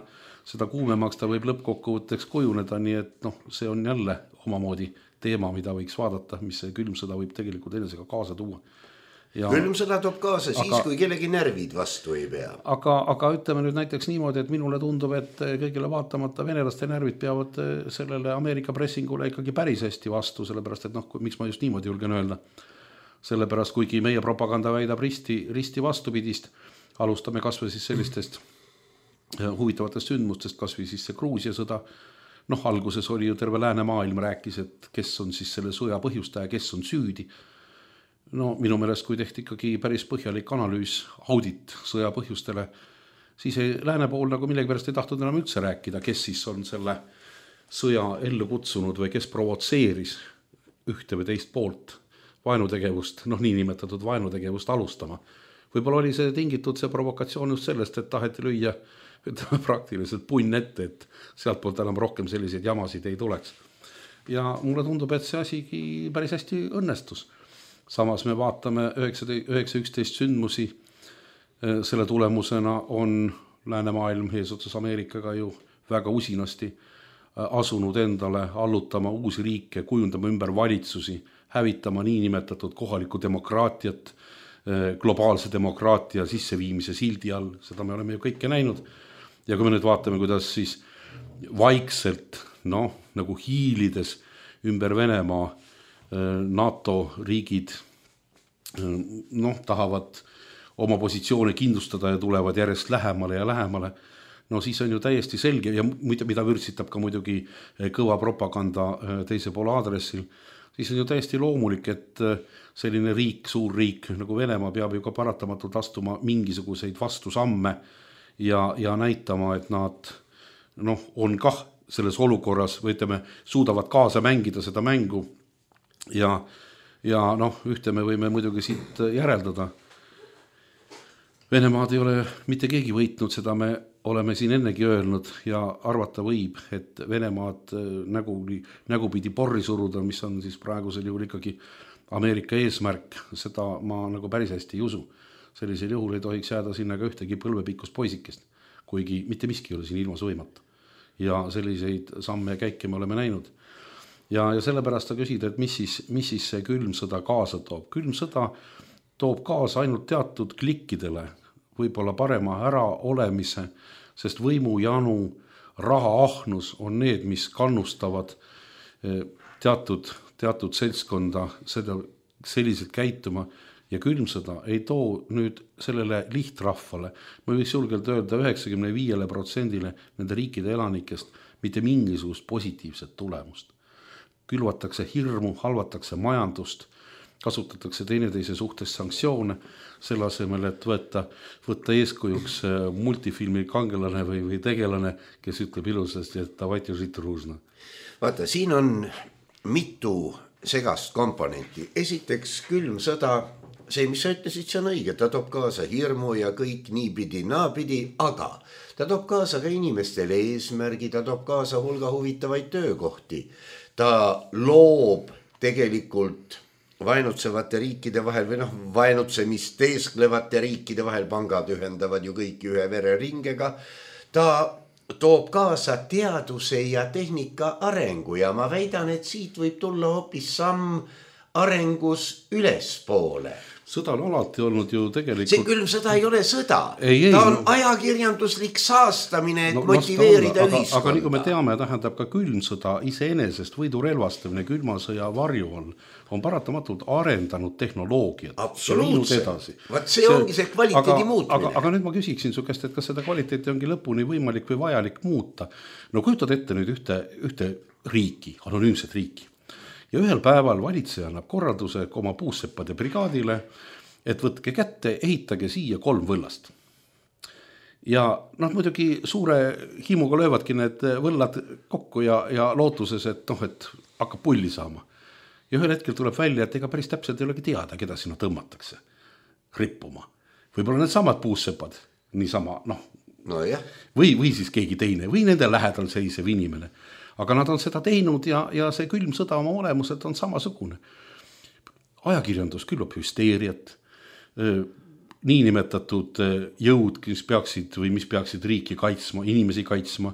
S4: seda kuumemaks ta võib lõppkokkuvõtteks kujuneda, nii et noh, see on jälle omamoodi teema, mida võiks vaadata, mis see külmsõda võib tegelikult enesega kaasa tuua. Ja,
S3: külmsõda toob kaasa siis, aga, kui kellegi närvid vastu ei pea.
S4: Aga, aga ütleme nüüd näiteks niimoodi, et minule tundub, et kõigile vaatamata venelaste närvid peavad sellele Ameerika pressingule ikkagi päris hästi vastu, sellepärast, et noh, miks ma just niimoodi julgen öelda. Sellepärast, kuigi meie propaganda väidab risti, risti vastupidist, alustame kas või siis sellistest huvitavatest sündmustest, kas või siis see Gruusia sõda. Noh, alguses oli ju terve läänemaailm rääkis, et kes on siis selle sõja põhjustaja, kes on süüdi. No minu meelest, kui tehti ikkagi päris põhjalik analüüs, audit sõja põhjustele, siis ei, lääne pool nagu millegi pärast ei tahtnud enam üldse rääkida, kes siis on selle sõja ellu kutsunud või kes provotseeris ühte või teist poolt vaenutegevust, noh niinimetatud vaenutegevust alustama. Võib-olla oli see tingitud see provokatsioon just sellest, et taheti lüüa ütleme, praktiliselt punn ette, et sealt poolt enam rohkem selliseid jamasid ei tuleks. Ja mulle tundub, et see asigi päris hästi õnnestus. samas me vaatame üheksa üksteist sündmusi, selle tulemusena on läänemaailm eesotsas Ameerikaga ju väga usinasti asunud endale allutama uusi riike, kujundama ümber valitsusi, hävitama niinimetatud kohalikku demokraatiat, globaalse demokraatia sisseviimise sildi all, seda me oleme ju kõike näinud. Ja kui me nüüd vaatame, kuidas siis vaikselt, noh, nagu hiilides ümber Venemaa NATO riigid noh, tahavad oma positsioone kindlustada ja tulevad järjest lähemale ja lähemale, no siis on ju täiesti selge ja mida vürtsitab ka muidugi kõva propaganda teise poole aadressil, siis on ju täiesti loomulik, et selline riik, suur riik nagu Venemaa peab ju ka paratamatult astuma mingisuguseid vastusamme ja, ja näitama, et nad noh, on kah selles olukorras või ütleme, suudavad kaasa mängida seda mängu ja, ja noh, ühte me võime muidugi siit järeldada. Venemaad ei ole mitte keegi võitnud, seda me oleme siin ennegi öelnud ja arvata võib, et Venemaad nägu, nägupidi porri suruda, mis on siis praegusel juhul ikkagi Ameerika eesmärk, seda ma nagu päris hästi ei usu. Sellisel juhul ei tohiks jääda sinna ka ühtegi põlvepikkust poisikest, kuigi mitte miski ei ole siin ilmas võimatu. Ja selliseid samme ja käike me oleme näinud. Ja, ja sellepärast ta küsida, et mis siis, mis siis see külm sõda kaasa toob. Külm sõda toob kaasa ainult teatud klikkidele, võib-olla parema ära olemise, sest võimujanu, rahaahnus on need, mis kannustavad teatud, teatud seltskonda seda, selliselt käituma ja külmsõda ei too nüüd sellele lihtrahvale, ma võiks julgelt öelda üheksakümmend viis protsendile nende riikide elanikest mitte mingisugust positiivset tulemust. Külvatakse hirmu, halvatakse majandust, kasutatakse teineteise suhtes sanktsioone, selle asemel, et võtta, võtta eeskujuks multifilmi kangelane või, või tegelane, kes ütleb ilusasti, et davайте žить дружно.
S3: Vaata, siin on mitu segast komponenti. Esiteks külm sõda, see, mis sa ütlesid, see on õige, ta toob kaasa hirmu ja kõik niipidi, naapidi, aga ta toob kaasa ka inimestele eesmärgi, ta toob kaasa hulga huvitavaid töökohti. Ta loob tegelikult vaenutsevate riikide vahel või noh, vaenutsemist teesklevate riikide vahel, pangad ühendavad ju kõik ühe vereringega. Ta toob kaasa teaduse ja tehnika arengu ja ma väidan, et siit võib tulla hoopis samm arengus ülespoole.
S4: Sõda on alati olnud ju tegelikult...
S3: See külm sõda ei ole sõda.
S4: Ei, ei,
S3: ta on
S4: no...
S3: ajakirjanduslik saastamine, et no, motiveerida
S4: aga,
S3: ühiskonda.
S4: Aga nagu me teame, tähendab ka külm sõda iseenesest võidurelvastamine külma sõja varju all on paratamatult arendanud tehnoloogiat.
S3: Absoluutselt. Vaat see, see ongi see kvaliteedi
S4: aga,
S3: muutmine.
S4: Aga, aga nüüd ma küsiksin su käest, et kas seda kvaliteeti ongi lõpuni võimalik või vajalik muuta. No kujutad ette nüüd ühte, ühte riiki, anonüümset riiki. Ja ühel päeval valitseja annab korralduse oma puusseppade brigaadile, et võtke kätte, ehitage siia kolm võllast. Ja noh, muidugi suure himuga löövadki need võllad kokku ja, ja lootuses, et noh, et hakkab pulli saama. Ja ühel hetkel tuleb välja, et ega päris täpselt ei olegi teada, keda sinna tõmmatakse rippuma. Võib-olla need samad puussepad, niisama, noh,
S3: no jah.
S4: Või, või siis keegi teine, või nende lähedal seisev inimene. Aga nad on seda teinud ja, ja see külm sõda oma olemuselt on samasugune. Ajakirjandus külvab hüsteeriat, niinimetatud jõud, mis peaksid või mis peaksid riiki kaitsma, inimesi kaitsma,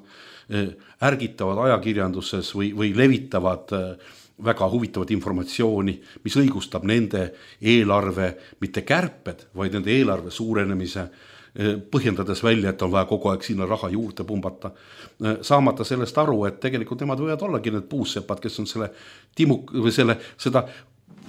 S4: ärgitavad ajakirjanduses või, või levitavad väga huvitavat informatsiooni, mis õigustab nende eelarve, mitte kärped, vaid nende eelarve suurenemise, põhjendades välja, et on vaja kogu aeg sinna raha juurde pumbata, saamata sellest aru, et tegelikult nemad võivad ollagi need puussepad, kes on selle timuk või selle, seda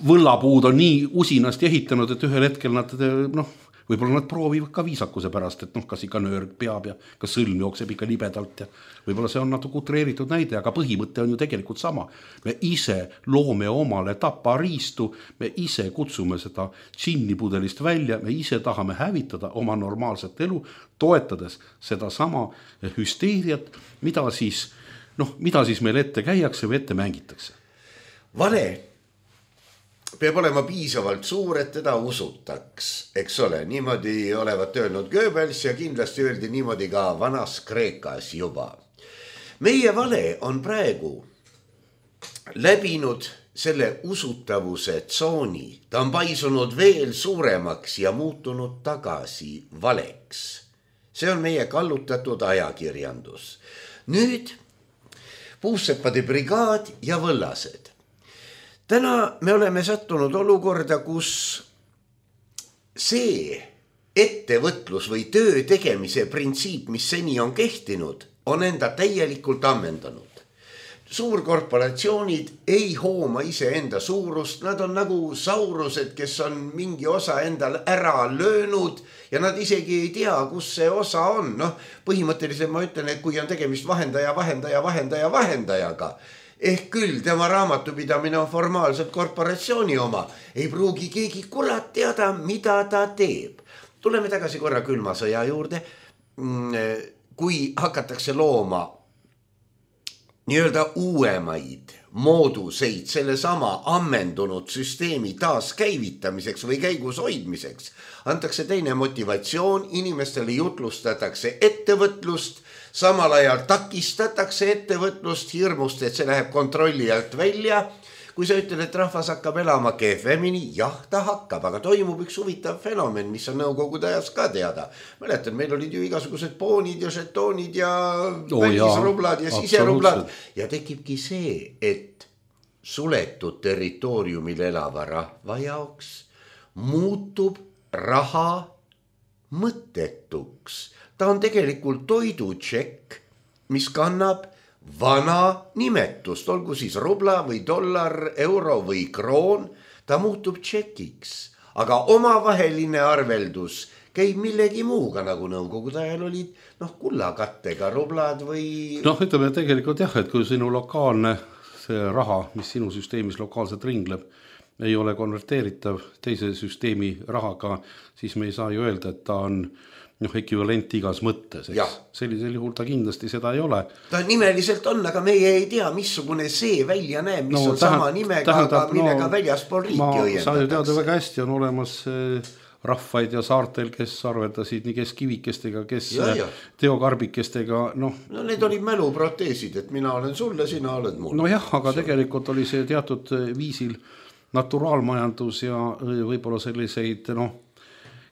S4: võllapuud on nii usinasti ehitanud, et ühel hetkel nad, noh, võib-olla nad proovivad ka viisakuse pärast, et noh, kas ikka nöörg peab ja kas sõlm jookseb ikka libedalt ja võib-olla see on natuke utreeritud näide, aga põhimõte on ju tegelikult sama. Me ise loome omale tapariistu, me ise kutsume seda džinnipudelist välja, me ise tahame hävitada oma normaalset elu, toetades seda sama hüsteeriat, mida siis, noh, mida siis meil ette käiakse või ette mängitakse.
S3: Vale peab olema piisavalt suur, et teda usutaks, eks ole, niimoodi olevat öelnud Goebbels ja kindlasti öeldi niimoodi ka vanas Kreekas juba. Meie vale on praegu läbinud selle usutavuse tsooni, ta on paisunud veel suuremaks ja muutunud tagasi valeks. See on meie kallutatud ajakirjandus. Nüüd puusseppade brigaad ja võllased. Täna me oleme sattunud olukorda, kus see ettevõtlus või töö tegemise printsiip, mis seni on kehtinud, on enda täielikult ammendanud. Suurkorporatsioonid ei hooma ise enda suurust, nad on nagu saurused, kes on mingi osa endal ära löönud ja nad isegi ei tea, kus see osa on. Noh, põhimõtteliselt ma ütlen, et kui on tegemist vahendaja, vahendaja, vahendaja, vahendajaga, ehk küll tema raamatupidamine on formaalselt korporatsiooni oma, ei pruugi keegi kurat teada, mida ta teeb. Tuleme tagasi korra külma sõja juurde. Kui hakatakse looma nii-öelda uuemaid mooduseid selle sama ammendunud süsteemi taaskäivitamiseks või käigus hoidmiseks, antakse teine motivatsioon, inimestele jutlustatakse ettevõtlust, samal ajal takistatakse ettevõtlust hirmust, et see läheb kontrolli alt välja. Kui sa ütled, et rahvas hakkab elama kehvemini, jah, ta hakkab, aga toimub üks huvitav fenomen, mis on nõukogude ajas ka teada. Mäletan, meil olid ju igasugused poonid ja žetoonid ja oh, välisrublad ja siserublad. Ja tekibki see, et suletud territooriumil elava rahva jaoks muutub raha mõttetuks. Ta on tegelikult toidutšekk, mis kannab vana nimetust, olgu siis rubla või dollar, euro või kroon, ta muutub tšekiks, aga omavaheline arveldus käib millegi muuga, nagu nõukogude ajal olid noh, kullakattega rublad või...
S4: Noh, ütleme tegelikult jah, et kui sinu lokaalne see raha, mis sinu süsteemis lokaalselt ringleb, ei ole konverteeritav teise süsteemi rahaga, siis me ei saa ju öelda, et ta on noh, ekvivalent igas mõttes. Sellisel juhul ta kindlasti seda ei ole.
S3: Ta nimeliselt on, aga meie ei tea, missugune see välja näeb, mis no, on tähend, sama nimega, tähendab, aga millega no, väljaspool riiki õiendatakse.
S4: Sa ju teada väga hästi on olemas rahvaid ja saartel, kes arveldasid nii kes kivikestega, kes ja, ja. teokarbikestega. No,
S3: no need olid mäluproteesid, et mina olen sulle, sina oled mul.
S4: No jah, aga Sul. tegelikult oli see teatud viisil naturaalmajandus ja võib-olla selliseid noh,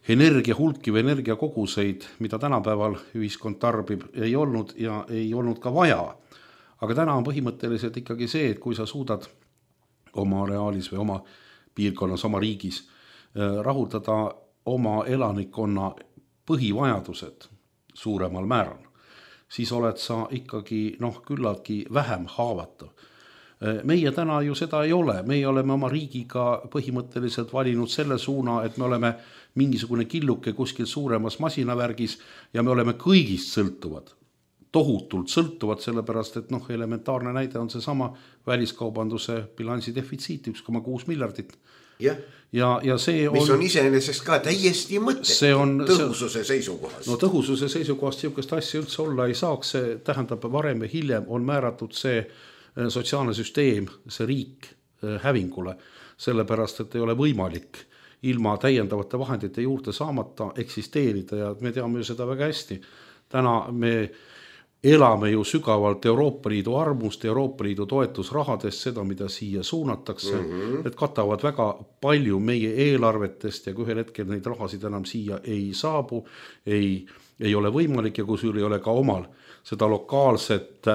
S4: energia hulki või energia koguseid, mida tänapäeval ühiskond tarbib, ei olnud ja ei olnud ka vaja. Aga täna on põhimõtteliselt ikkagi see, et kui sa suudad oma reaalis või oma piirkonnas, oma riigis rahuldada oma elanikkonna põhivajadused suuremal määral, siis oled sa ikkagi noh, küllaltki vähem haavatav. Meie täna ju seda ei ole, meie oleme oma riigiga põhimõtteliselt valinud selle suuna, et me oleme mingisugune killuke kuskil suuremas masinavärgis ja me oleme kõigist sõltuvad, tohutult sõltuvad, sellepärast et noh, elementaarne näide on see sama väliskaubanduse bilansi defitsiit, üks koma kuus miljardit.
S3: Ja,
S4: ja, ja see
S3: mis on, on iseenesest ka täiesti mõttetu tõhususe seisukohast.
S4: No tõhususe seisukohast siukest asja üldse olla ei saaks, see tähendab varem ja hiljem on määratud see sotsiaalne süsteem, see riik hävingule, sellepärast, et ei ole võimalik ilma täiendavate vahendite juurde saamata eksisteerida ja me teame ju seda väga hästi. Täna me elame ju sügavalt Euroopa Liidu armust, Euroopa Liidu toetusrahadest, seda, mida siia suunatakse, mm -hmm. et katavad väga palju meie eelarvetest ja kui ühel hetkel neid rahasid enam siia ei saabu, ei, ei ole võimalik ja kui sul ei ole ka omal seda lokaalset,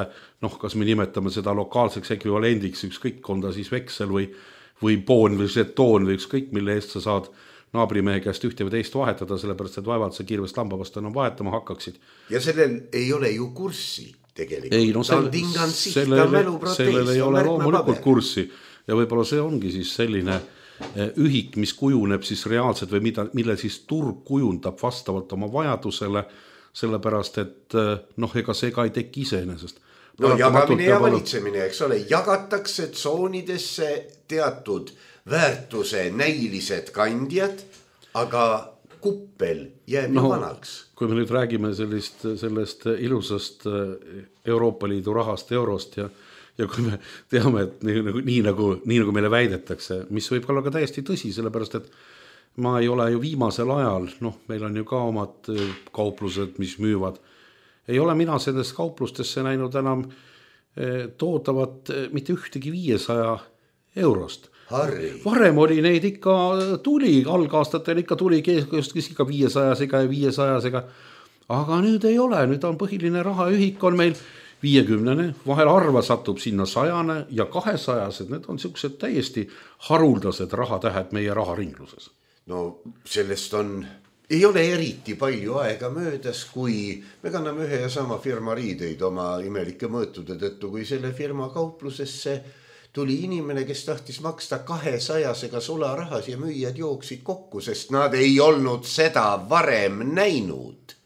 S4: noh, kas me nimetame seda lokaalseks ekvivalendiks, ükskõik on ta siis veksel või, või poon või žetoon või ükskõik, mille eest sa saad naabrimehe käest ühte või teist vahetada, sellepärast, et vaevalt sa kirvest lambavast enam vahetama hakkaksid.
S3: Ja sellel ei ole ju kurssi tegelikult.
S4: Ei, no sel, sellel, sellel ei ole loomulikult kurssi ja võib-olla see ongi siis selline ühik, mis kujuneb siis reaalselt või mida, mille siis turg kujundab vastavalt oma vajadusele, sellepärast, et noh, ega see ka ei teki iseenesest.
S3: No jagamine ja valitsemine, eks ole, jagatakse tsoonidesse teatud väärtuse näilised kandjad, aga kuppel jääb no, ju vanaks.
S4: Kui me nüüd räägime sellist, sellest ilusast Euroopa Liidu rahast, eurost ja, ja kui me teame, et nii, nii, nagu, nii nagu meile väidetakse, mis võib olla ka täiesti tõsi, sellepärast, et ma ei ole ju viimasel ajal, noh, meil on ju ka omad kauplused, mis müüvad. Ei ole mina sellest kauplustesse näinud enam toodavat mitte ühtegi viiesaja eurost.
S3: Harri.
S4: Varem oli neid ikka tuli, algaastatel ikka tuli kes ikka viiesajasega ja viiesajasega, aga nüüd ei ole, nüüd on põhiline rahaühik on meil viiekümnene, vahel harva satub sinna sajane ja kahesajased, need on siuksed täiesti haruldased rahatähed meie raharingluses.
S3: No sellest on, ei ole eriti palju aega möödas, kui me kanname ühe ja sama firma riideid oma imelike mõõtude tõttu, kui selle firma kauplusesse tuli inimene, kes tahtis maksta kahesajasega sularahas ja müüjad jooksid kokku, sest nad ei olnud seda varem näinud.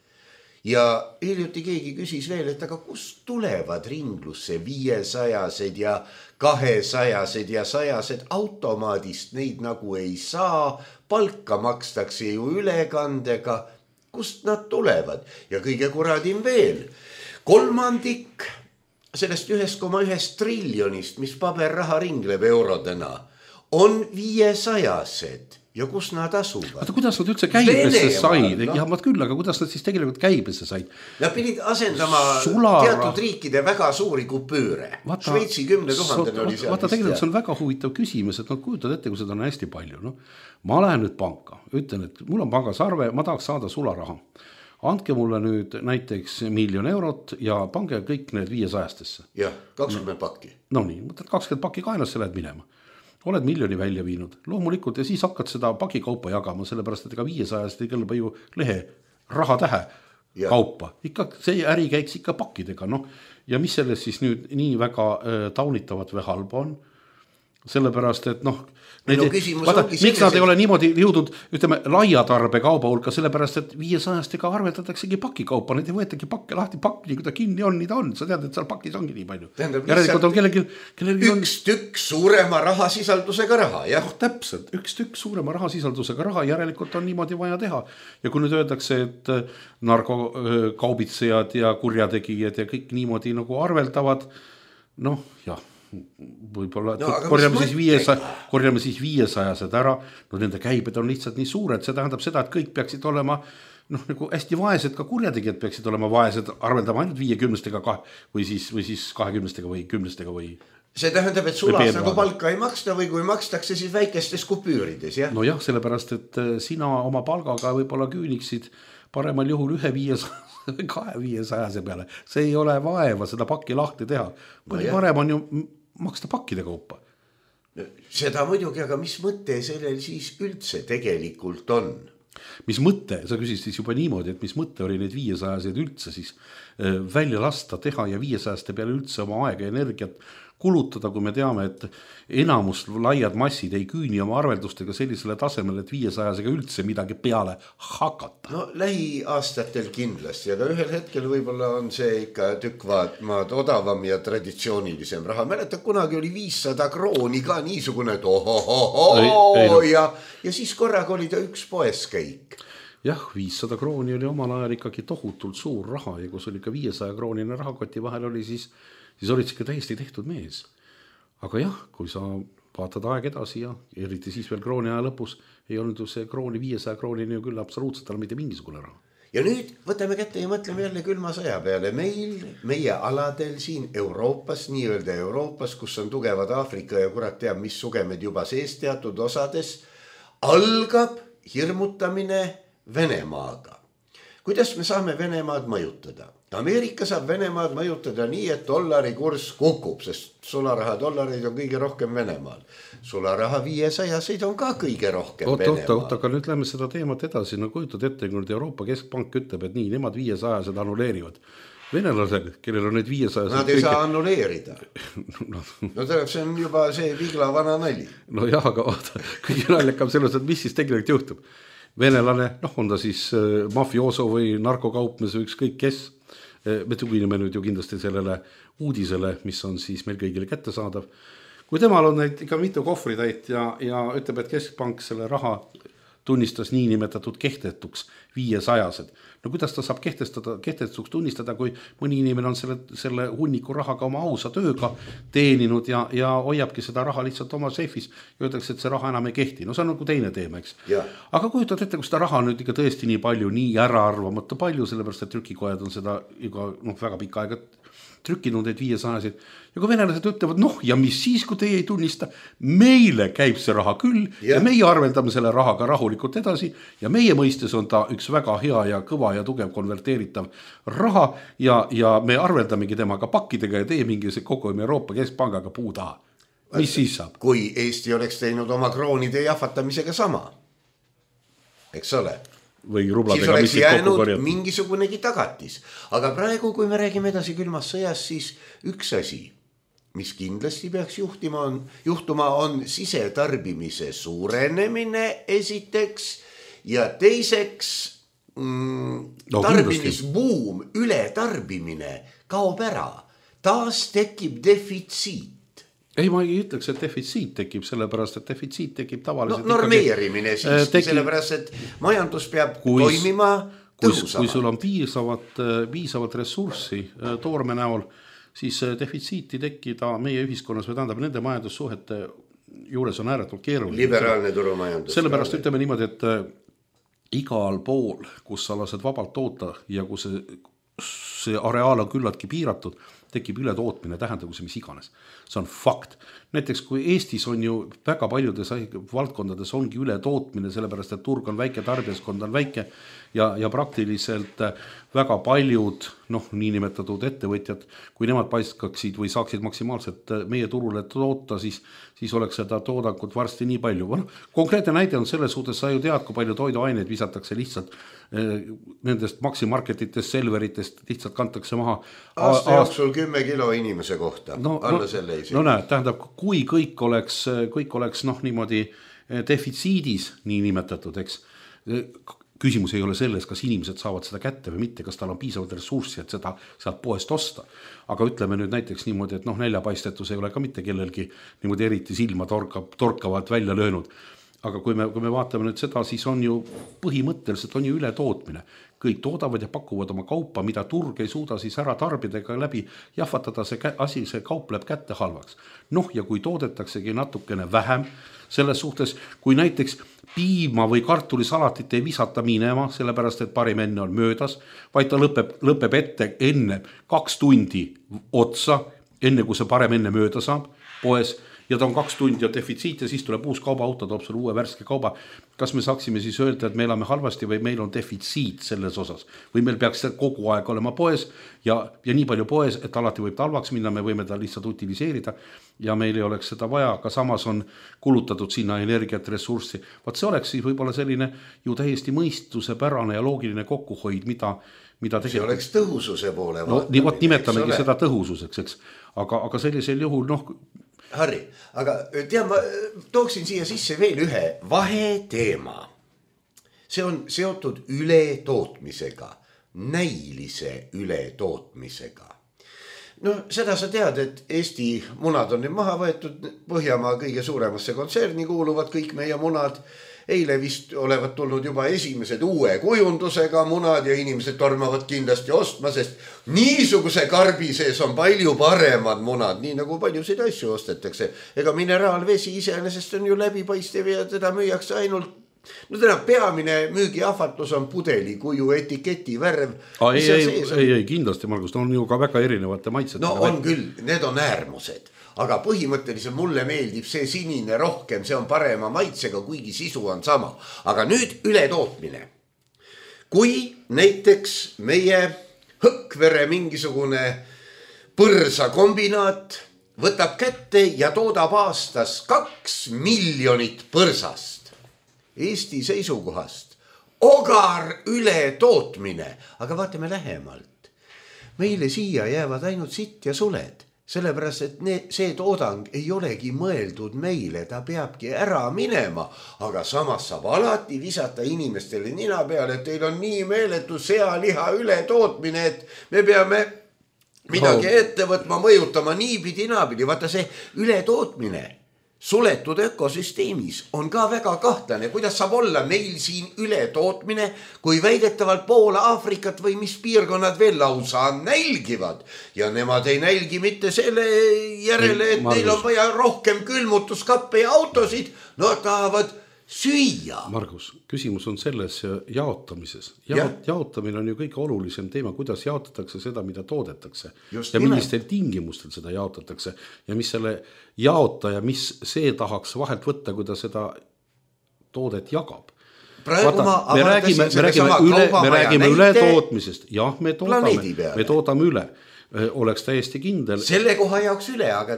S3: Ja hiljuti keegi küsis veel, et aga kust tulevad ringlusse viiesajased ja kahesajased ja sajased automaadist, neid nagu ei saa, palka makstakse ju ülekandega, kust nad tulevad ja kõige kuradim veel, kolmandik sellest üks koma üks triljonist, mis paberraha ringleb eurodena, on viiesajased ja kus nad asuvad?
S4: Vaata, kuidas nad üldse käibesse said? No. Ja vaat küll, aga kuidas nad siis tegelikult käibesse said?
S3: Nad pidid asendama Sulara... teatud riikide väga suuri kupüüre. Vaata, Šveitsi kümne tuhandel oli seal.
S4: Vaata, tegelikult see on väga huvitav küsimus, et nad kujutavad ette, kui seda on hästi palju. No, ma lähen nüüd panka, ütlen, et mul on pangas arve, ma tahaks saada sularaha. Andke mulle nüüd näiteks miljon eurot ja pange kõik need viiesajastesse.
S3: Jah, kakskümmend pakki.
S4: No nii, mõtled kakskümmend pakki kainasse lähed minema. Oled miljoni välja viinud. Loomulikult ja siis hakkad seda pakikaupa jagama, sellepärast et ega viiesajast ei kõlba ju lehe raha tähe ja. Kaupa. Ikka see äri käiks ikka pakkidega. No. Ja mis selles siis nüüd nii väga äh, taunitavat või halba on? Sellepärast, et noh, need, no, vaata, miks nad ei ole niimoodi jõudnud, ütleme, laia tarbe kauba hulka, sellepärast, et viiesajastega arvetataksegi pakikaupa, need ei võetagi pakke lahti, pakk, nii kui ta kinni on, nii ta on, sa tead, et seal pakis ongi nii palju. Järelikult on kellelgi, kellelgi
S3: on... Üks tükk suurema rahasisaldusega raha, jah?
S4: Oh, täpselt, üks tükk suurema rahasisaldusega raha, järelikult on niimoodi vaja teha. Ja kui nüüd öeldakse, et narkokaubitsejad ja kurjategijad ja kõik niimoodi nagu arveldavad, noh, jah. Võib-olla no, korjame, siis viiesaja, korjame siis viiesajased ära, no nende käibed on lihtsalt nii suured, see tähendab seda, et kõik peaksid olema noh, nagu hästi vaesed, ka kurjategijad peaksid olema vaesed, arveldama ainult viiekümnestega või siis, või siis kahekümnestega või kümnestega või
S3: see tähendab, et sulas nagu palka ei maksta või kui makstakse siis väikestes kupüürides, jah?
S4: No jah, sellepärast, et sina oma palgaga võib-olla küüniksid paremal juhul ühe viiesaja kahe viiesajase peale, see ei ole vaeva seda pakki lahti teha, no parem on ju maksta pakkide kaupa.
S3: Seda muidugi, aga mis mõte sellel siis üldse tegelikult on?
S4: Mis mõte, sa küsisid siis juba niimoodi, et mis mõte oli neid viiesajased üldse siis välja lasta teha ja viiesajaste peale üldse oma aega ja energiat kulutada, kui me teame, et enamus laiad massid ei küüni oma arveldustega sellisele tasemele, et viiesajasega üldse midagi peale hakata.
S3: No lähiaastatel kindlasti, aga ühel hetkel võib-olla on see ikka tükk maad odavam ja traditsioonilisem raha. Mäleta, kunagi oli viissada krooni ka niisugune, et ohohoho ja, ja siis korraga oli ta üks poeskäik.
S4: Jah, viissada krooni oli omal ajal ikkagi tohutult suur raha ja kus oli ka viiesaja kroonine rahakoti vahel oli siis siis olid ikka täiesti tehtud mees. Aga jah, kui sa vaatad aeg edasi ja eriti siis veel krooni aja lõpus, ei olnud ju see krooni viiesaja kroonini ju küll absoluutselt tal mitte mingisugune raha.
S3: Ja nüüd võtame kätte ja mõtleme jälle külma sõja peale. Meil, meie aladel siin Euroopas, nii-öelda Euroopas, kus on tugevad Aafrika ja kurat teab, mis sugemed juba sees teatud osades, algab hirmutamine Venemaaga. Kuidas me saame Venemaad mõjutada? Ameerika saab Venemaad mõjutada nii, et dollari kurss kukub, sest sularaha dollareid on kõige rohkem Venemaal. Sularaha viiesajaseid on ka kõige rohkem
S4: oot,
S3: Venemaal.
S4: Oota, oota, aga nüüd lähme seda teemat edasi. No kujutad ette, kui nüüd Euroopa Keskpank ütleb, et nii, nemad viiesajased annuleerivad. Venelased, kellel on need viiesajased...
S3: Nad ei kõige... saa annuleerida. no, no see on juba see vigla vana nali.
S4: No jah, aga oota, kõige naljakam selles, et mis siis tegelikult juhtub. Venelane, noh, on ta siis mafioso või narkokaupmes või ükskõik kes. Me tugineme nüüd ju kindlasti sellele uudisele, mis on siis meil kõigile kättesaadav. Kui temal on neid ikka mitu kohvritäit ja, ja ütleb, et Keskpank selle raha tunnistas niinimetatud kehtetuks viiesajased. No kuidas ta saab kehtestada, kehtetuks tunnistada, kui mõni inimene on selle, selle hunniku rahaga oma ausa tööga teeninud ja, ja hoiabki seda raha lihtsalt oma seifis ja öeldakse, et see raha enam ei kehti. No see on nagu teine teema, eks.
S3: Ja.
S4: Aga kujutad ette, kui seda raha on nüüd ikka tõesti nii palju, nii ära arvamata palju, sellepärast, et trükikojad on seda juba no, väga pikka aega trükkinud neid viiesajasid ja kui venelased ütlevad, noh ja mis siis, kui teie ei tunnista, meile käib see raha küll ja, ja meie arveldame selle rahaga rahulikult edasi ja meie mõistes on ta üks väga hea ja kõva ja tugev konverteeritav raha ja, ja me arveldamegi temaga pakkidega ja teie mingi kogu Euroopa Keskpangaga puu taha. Mis siis saab?
S3: Kui Eesti oleks teinud oma kroonide jahvatamisega sama, eks ole?
S4: Või
S3: siis oleks jäänud mingisugunegi tagatis. Aga praegu, kui me räägime edasi külmas sõjas, siis üks asi, mis kindlasti peaks juhtima on, juhtuma, on sisetarbimise suurenemine esiteks ja teiseks mm, no, tarbimisbuum, ületarbimine kaob ära. Taas tekib defitsiit.
S4: Ei, ma ei ütleks, et defitsiit tekib, sellepärast, et defitsiit tekib tavaliselt...
S3: No, normeerimine siiski, tekib... sellepärast, et majandus peab kui, toimima tõhusamalt.
S4: Kui sul on piisavat, piisavat ressurssi toorme näol, siis defitsiiti tekkida meie ühiskonnas või tähendab nende majandussuhete juures on ääretult keeruline.
S3: Liberaalne turumajandus.
S4: Sellepärast ütleme niimoodi, et igal pool, kus sa lased vabalt toota ja kus see, see areaal on küllaltki piiratud, tekib ületootmine, tähendagu see mis iganes. See on fakt. Näiteks kui Eestis on ju väga paljudes valdkondades ongi ületootmine, sellepärast et turg on väike, tarbijaskond on väike ja, ja praktiliselt väga paljud noh, niinimetatud ettevõtjad, kui nemad paiskaksid või saaksid maksimaalselt meie turule toota, siis, siis oleks seda toodangut varsti nii palju. No, konkreetne näide on selles suhtes, sa ju tead, kui palju toiduaineid visatakse lihtsalt eh, nendest maksimarketitest, selveritest lihtsalt kantakse maha.
S3: Aasta jooksul kümme kilo inimese kohta.
S4: No,
S3: alla
S4: no,
S3: selle isegi.
S4: No näe, tähendab, kui kõik oleks, kõik oleks noh, niimoodi defitsiidis nii nimetatud, eks, küsimus ei ole selles, kas inimesed saavad seda kätte või mitte, kas tal on piisavalt ressurssi, et seda sealt poest osta. Aga ütleme nüüd näiteks niimoodi, et noh, näljapaistetus ei ole ka mitte kellelgi niimoodi eriti silma torkab, torkavalt välja löönud. Aga kui me, kui me vaatame nüüd seda, siis on ju põhimõtteliselt on ju ületootmine. Kõik toodavad ja pakuvad oma kaupa, mida turg ei suuda siis ära tarbidega läbi jahvatada, see asi, see kaup läheb kätte halvaks. Noh, ja kui toodetaksegi natukene vähem, selles suhtes, kui näiteks piima või kartulisalatit ei visata minema, sellepärast, et parim enne on möödas, vaid ta lõpeb, lõpeb ette enne kaks tundi otsa, enne kui see parem enne mööda saab poes, ja ta on kaks tundi ja defitsiit ja siis tuleb uus kaubaauto, toob sulle uue värske kauba. Kas me saaksime siis öelda, et me elame halvasti või meil on defitsiit selles osas? Või meil peaks kogu aeg olema poes ja, ja nii palju poes, et alati võib talvaks minna, me võime ta lihtsalt utiliseerida ja meil ei oleks seda vaja, aga samas on kulutatud sinna energiat, ressurssi. Vaat see oleks siis võib-olla selline ju täiesti mõistusepärane ja loogiline kokkuhoid, mida mida
S3: see oleks tõhususe poole
S4: no, vaatamine. Nimetamegi seda tõhususeks, eks. Aga, aga sellisel juhul, noh...
S3: Harri, aga tean, ma tooksin siia sisse veel ühe vaheteema. See on seotud ületootmisega, näilise ületootmisega. No seda sa tead, et Eesti munad on nüüd maha võetud, Põhjamaa kõige suuremasse kontserni kuuluvad kõik meie munad. Eile vist olevat tulnud juba esimesed uue kujundusega munad ja inimesed tormavad kindlasti ostma, sest niisuguse karbi sees on palju paremad munad, nii nagu paljusid asju ostetakse. Ega mineraalvesi iseenesest on ju läbipaistev ja teda müüakse ainult, no täna peamine müügiahvatlus on pudeli kuju etiketi värv.
S4: A, ei, ei, ei, ei, kindlasti, Margus, on ju ka väga erinevate maitsed.
S3: No on küll, need on äärmused. Aga põhimõtteliselt mulle meeldib see sinine rohkem, see on parema maitsega, kuigi sisu on sama. Aga nüüd ületootmine. Kui näiteks meie Hõkvere mingisugune põrsakombinaat võtab kätte ja toodab aastas kaks miljonit põrsast Eesti seisukohast, ogar ületootmine, aga vaatame lähemalt. Meile siia jäävad ainult sitt ja suled. Sellepärast, et ne, see toodang ei olegi mõeldud meile, ta peabki ära minema, aga samas saab alati visata inimestele nina peale, et teil on nii meeletu sealiha ületootmine, et me peame midagi ette võtma, mõjutama niipidi naapidi. Vaata see ületootmine suletud ökosüsteemis on ka väga kahtlane, kuidas saab olla meil siin ületootmine, kui väidetavalt pool Aafrikat või mis piirkonnad veel lausa nälgivad. Ja nemad ei nälgi mitte selle järele, et neil on vaja rohkem külmutuskappe ja autosid. No tahavad süüa.
S4: Margus, küsimus on selles jaotamises. Jaot, jaotamine on ju kõige olulisem teema, kuidas jaotatakse seda, mida toodetakse. Just ja millistel nimelt. Tingimustel seda jaotatakse ja mis selle jaotaja, mis see tahaks vahelt võtta, kui ta seda toodet jagab. Vaata, ma me räägime, me räägime, üle, me räägime üle tootmisest. Jah, me toodame, me toodame üle. Oleks täiesti kindel.
S3: Selle koha jaoks üle, aga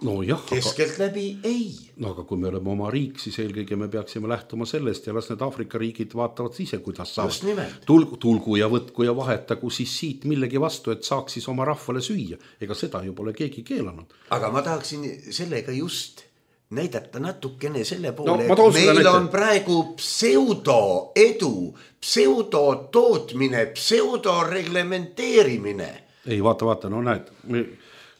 S4: no jah,
S3: keskelt
S4: aga,
S3: läbi ei.
S4: No aga kui me oleme oma riik, siis eelkõige me peaksime lähtuma sellest ja las need Aafrika riigid vaatavad ise, kuidas saavad. Tulgu, tulgu ja võtku ja vahetagu siis siit millegi vastu, et saaks siis oma rahvale süüa. Ega seda ju pole keegi keelanud.
S3: Aga ma tahaksin sellega just näidata natukene selle poole, no, et meil näite. On praegu pseudo-edu, pseudo-tootmine, pseudo-reglementeerimine.
S4: Ei, vaata, vaata, no näed, me...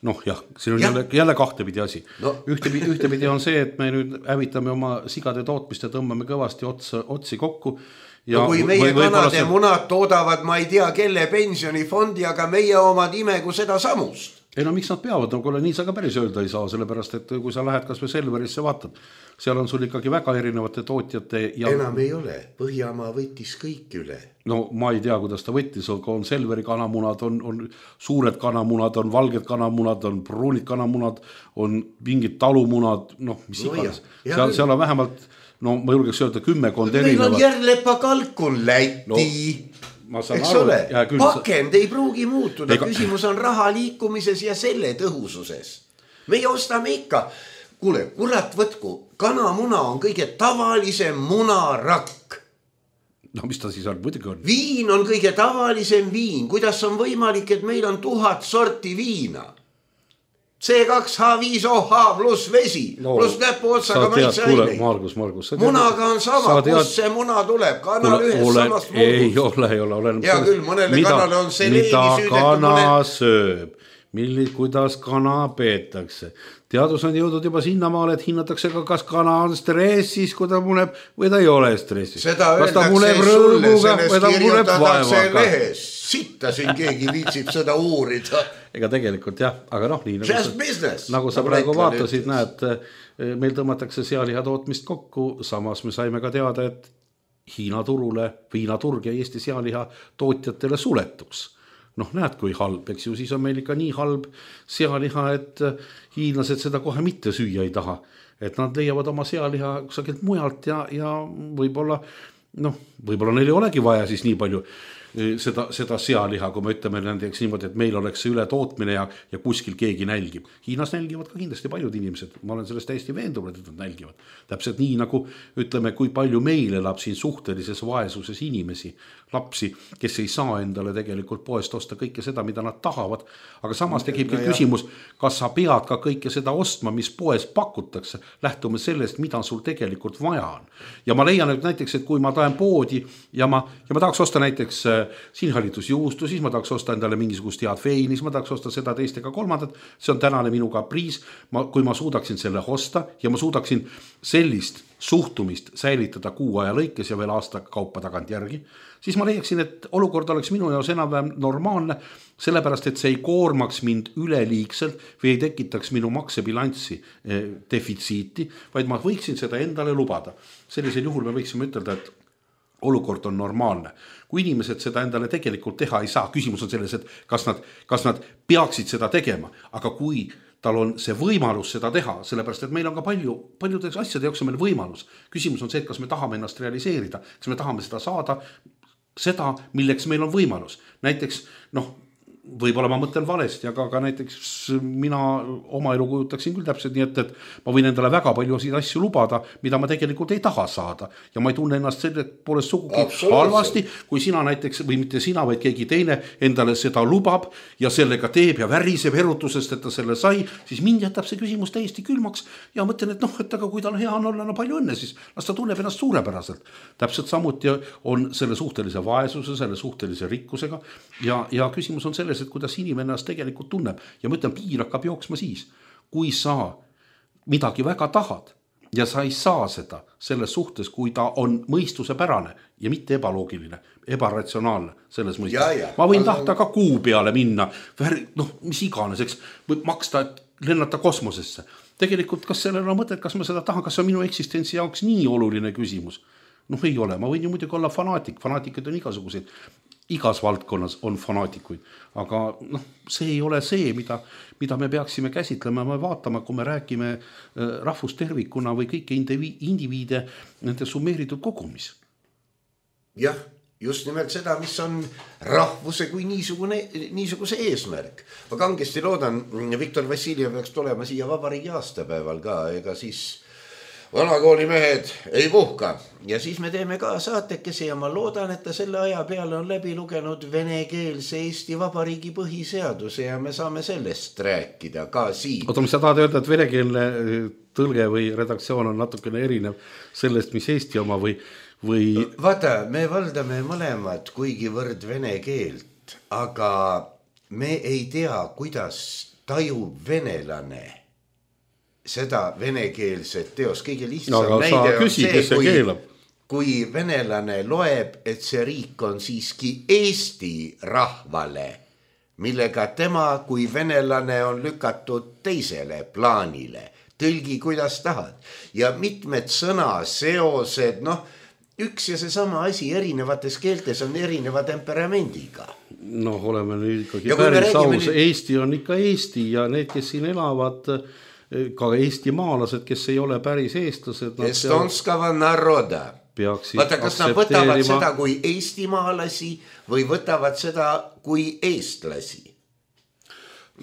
S4: noh jah, siin on ja. jälle, jälle kahtepidi asi no. ühtepidi, ühtepidi on see, et me nüüd hävitame oma sigade tootmist ja tõmbame kõvasti otsa, otsi kokku ja
S3: no kui meie või, kanade see... munad toodavad ma ei tea kelle pensionifondi, aga meie omad imegu seda samust.
S4: Ei no miks nad peavad, no kuule nii sa ka päris öelda ei saa, sellepärast et kui sa lähed kas või Selverisse vaatad, seal on sul ikkagi väga erinevate tootjate ja...
S3: enam ei ole, Põhjamaa võttis kõik üle.
S4: No ma ei tea, kuidas ta võttis, on Selveri kanamunad, on, on suured kanamunad, on valged kanamunad, on pruunid kanamunad, on mingid talumunad, noh mis no iganes. Seal, seal on vähemalt, no ma julgeks öelda kümmekond erinevat.
S3: Meil on Järlepa kalkun Läti. No, eks aru, ole, küll... pakend ei pruugi muutuda, Ega... küsimus on raha liikumises ja selle tõhususes. Meie ostame ikka, kuule, kurat võtku, kanamuna on kõige tavalisem munarakk.
S4: No mis ta siis on, muidugi on?
S3: Viin on kõige tavalisem viin, kuidas on võimalik, et meil on tuhat sorti viina. C kaks H viis O H pluss vesi, no, pluss näpu otsaga maitseaineid.
S4: Margus, Margus.
S3: Munaga on sama, tead... kus see muna tuleb, kanal ühes olen, samast muudus.
S4: Ei ole, ei ole. Olen
S3: ja küll, mõnele mida, kanale on see leegi süüdetud.
S4: Mida kana mõne... sööb, milli, kuidas kana peetakse. Teadus on jõudnud juba sinnamaale, et hinnatakse ka, kas kana on stressis, kui ta muneb või ta ei ole stressis.
S3: Seda öeldakse sulle, sellest kirjutatakse lehes. Sitta siin keegi viitsib seda uurida.
S4: Ega tegelikult jah, aga noh, nii
S3: nagu, business,
S4: nagu sa nagu praegu vaatasid, näed, meil tõmmatakse sealiha tootmist kokku, samas me saime ka teada, et Hiina turule, Hiina turg ja Eesti sealiha tootjatele suletuks. Noh, näed, kui halb, eks ju, siis on meil ikka nii halb sealiha, et hiinlased seda kohe mitte süüa ei taha. Et nad leiavad oma sealiha kusagilt mujalt ja, ja võib-olla, noh, võib-olla neil ei olegi vaja siis nii palju seda, seda sealiha, kui me ütleme näiteks niimoodi, et meil oleks see üle tootmine ja, ja kuskil keegi nälgib. Hiinas nälgivad ka kindlasti paljud inimesed. Ma olen sellest täiesti veendunud, et nad nälgivad. Täpselt nii nagu ütleme, kui palju meil elab siin suhtelises vaesuses inimesi, lapsi, kes ei saa endale tegelikult poest osta kõike seda, mida nad tahavad. Aga samas tekib no, küsimus, kas sa pead ka kõike seda ostma, mis poes pakutakse, lähtume sellest, mida sul tegelikult vaja on. Ja ma leian, et näiteks, et kui ma tahan poodi ja ma, ja ma tahaks osta näiteks sinhalitusjuustu, siis ma tahaks osta endale mingisugust head veini, siis ma tahaks osta seda teist ega kolmandat, see on tänane minu kapriis, ma, kui ma suudaksin selle osta ja ma suudaksin sellist suhtumist säilitada kuu aja lõikes ja veel aasta kaupa tagant järgi, siis ma leiaksin, et olukord oleks minu jaos enam-vähem normaalne, sellepärast, et see ei koormaks mind üleliigselt või ei tekitaks minu maksebilanssi eh, defitsiiti, vaid ma võiksin seda endale lubada. Sellisel juhul me võiksime ütelda, et olukord on normaalne. Kui inimesed seda endale tegelikult teha ei saa, küsimus on selles, et kas nad, kas nad peaksid seda tegema, aga kui tal on see võimalus seda teha, sellepärast, et meil on ka palju, paljudeks asjade jaoks on meil võimalus. Küsimus on see, et kas me tahame ennast realiseerida, kas me tahame seda saada, seda, milleks meil on võimalus. Näiteks, noh, võib-olla ma mõtlen valesti, aga ka näiteks mina oma elu kujutaksin küll täpselt nii, et, et ma võin endale väga palju asju lubada, mida ma tegelikult ei taha saada. Ja ma ei tunne ennast selle poolest sugugi halvasti, kui sina näiteks, või mitte sina, vaid keegi teine endale seda lubab ja sellega teeb ja väriseb erutusest, et ta selle sai, siis mind jätab see küsimus täiesti külmaks ja mõtlen, et noh, et aga kui tal hea on olla, no palju õnne, siis las ta tunneb ennast suurepäraselt. Täpselt samuti on selle suhtelise vaesuse, selle suhtelise rikkusega ja, ja küsimus on selles, et kuidas inimene ennast tegelikult tunneb. Ja ma ütlen, piir hakkab jooksma siis, kui sa midagi väga tahad ja sa ei saa seda selles suhtes, kui ta on mõistusepärane ja mitte ebaloogiline, ebaratsionaalne selles mõistes. Ma võin tahta ka kuu peale minna, noh, mis iganes, eks, maksta lennata kosmosesse. Tegelikult kas sellel on mõtet, kas ma seda tahan, kas on minu eksistentsi jaoks nii oluline küsimus? Noh, ei ole, ma võin ju muidugi olla fanaatik, fanaatikuid on igasuguseid, igas valdkonnas on fanaatikuid, aga noh, see ei ole see, mida, mida me peaksime käsitlema, me vaatama, kui me räägime rahvustervikuna või kõiki indiviide nende summeeritud kogumis.
S3: Jah, just nimelt seda, mis on rahvuse kui niisugune, niisuguse eesmärk. Ma kangesti loodan, Viktor Vassiljev peaks tulema siia vabariigi aastapäeval ka, ega siis vanakooli mehed ei puhka. Ja siis me teeme ka saatekesi ja ma loodan, et ta selle aja peale on läbi lugenud venekeelse Eesti Vabariigi põhiseaduse ja me saame sellest rääkida ka siin.
S4: Oota, mis sa tahad öelda, et venekeelne tõlge või redaktsioon on natukene erinev sellest, mis Eesti oma või... või...
S3: Vaata, me valdame mõlemad kuigivõrd vene keelt, aga me ei tea, kuidas tajub venelane seda venekeelset teos. Kõige lihtsam
S4: no,
S3: näide on
S4: küsi,
S3: see,
S4: see
S3: kui, kui venelane loeb, et see riik on siiski Eesti rahvale, millega tema kui venelane on lükatud teisele plaanile. Tõlgi, kuidas tahad. Ja mitmed sõnaseosed, noh, üks ja seesama asi erinevates keeltes on erineva temperamendiga.
S4: No oleme nüüd ikkagi päris aus. Nüüd... Eesti on ikka Eesti ja need, kes siin elavad, ka Eesti maalased, kes ei ole päris eestlased.
S3: Estonskava naroda. Vaata, kas nad võtavad seda kui Eesti maalasi või võtavad seda kui eestlasi?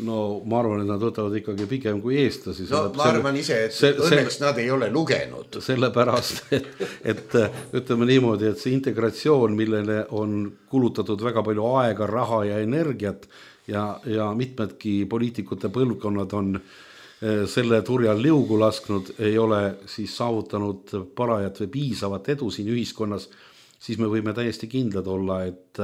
S4: No ma arvan, et nad võtavad ikkagi pigem kui eestlasi.
S3: No ma arvan ise, et see, õnneks see, nad ei ole lugenud.
S4: Sellepärast, et, et ütleme niimoodi, et see integratsioon, millele on kulutatud väga palju aega, raha ja energiat ja, ja mitmedki poliitikute põlvkonnad on selle turjal liugu lasknud, ei ole siis saavutanud parajat või piisavat edu siin ühiskonnas, siis me võime täiesti kindlad olla, et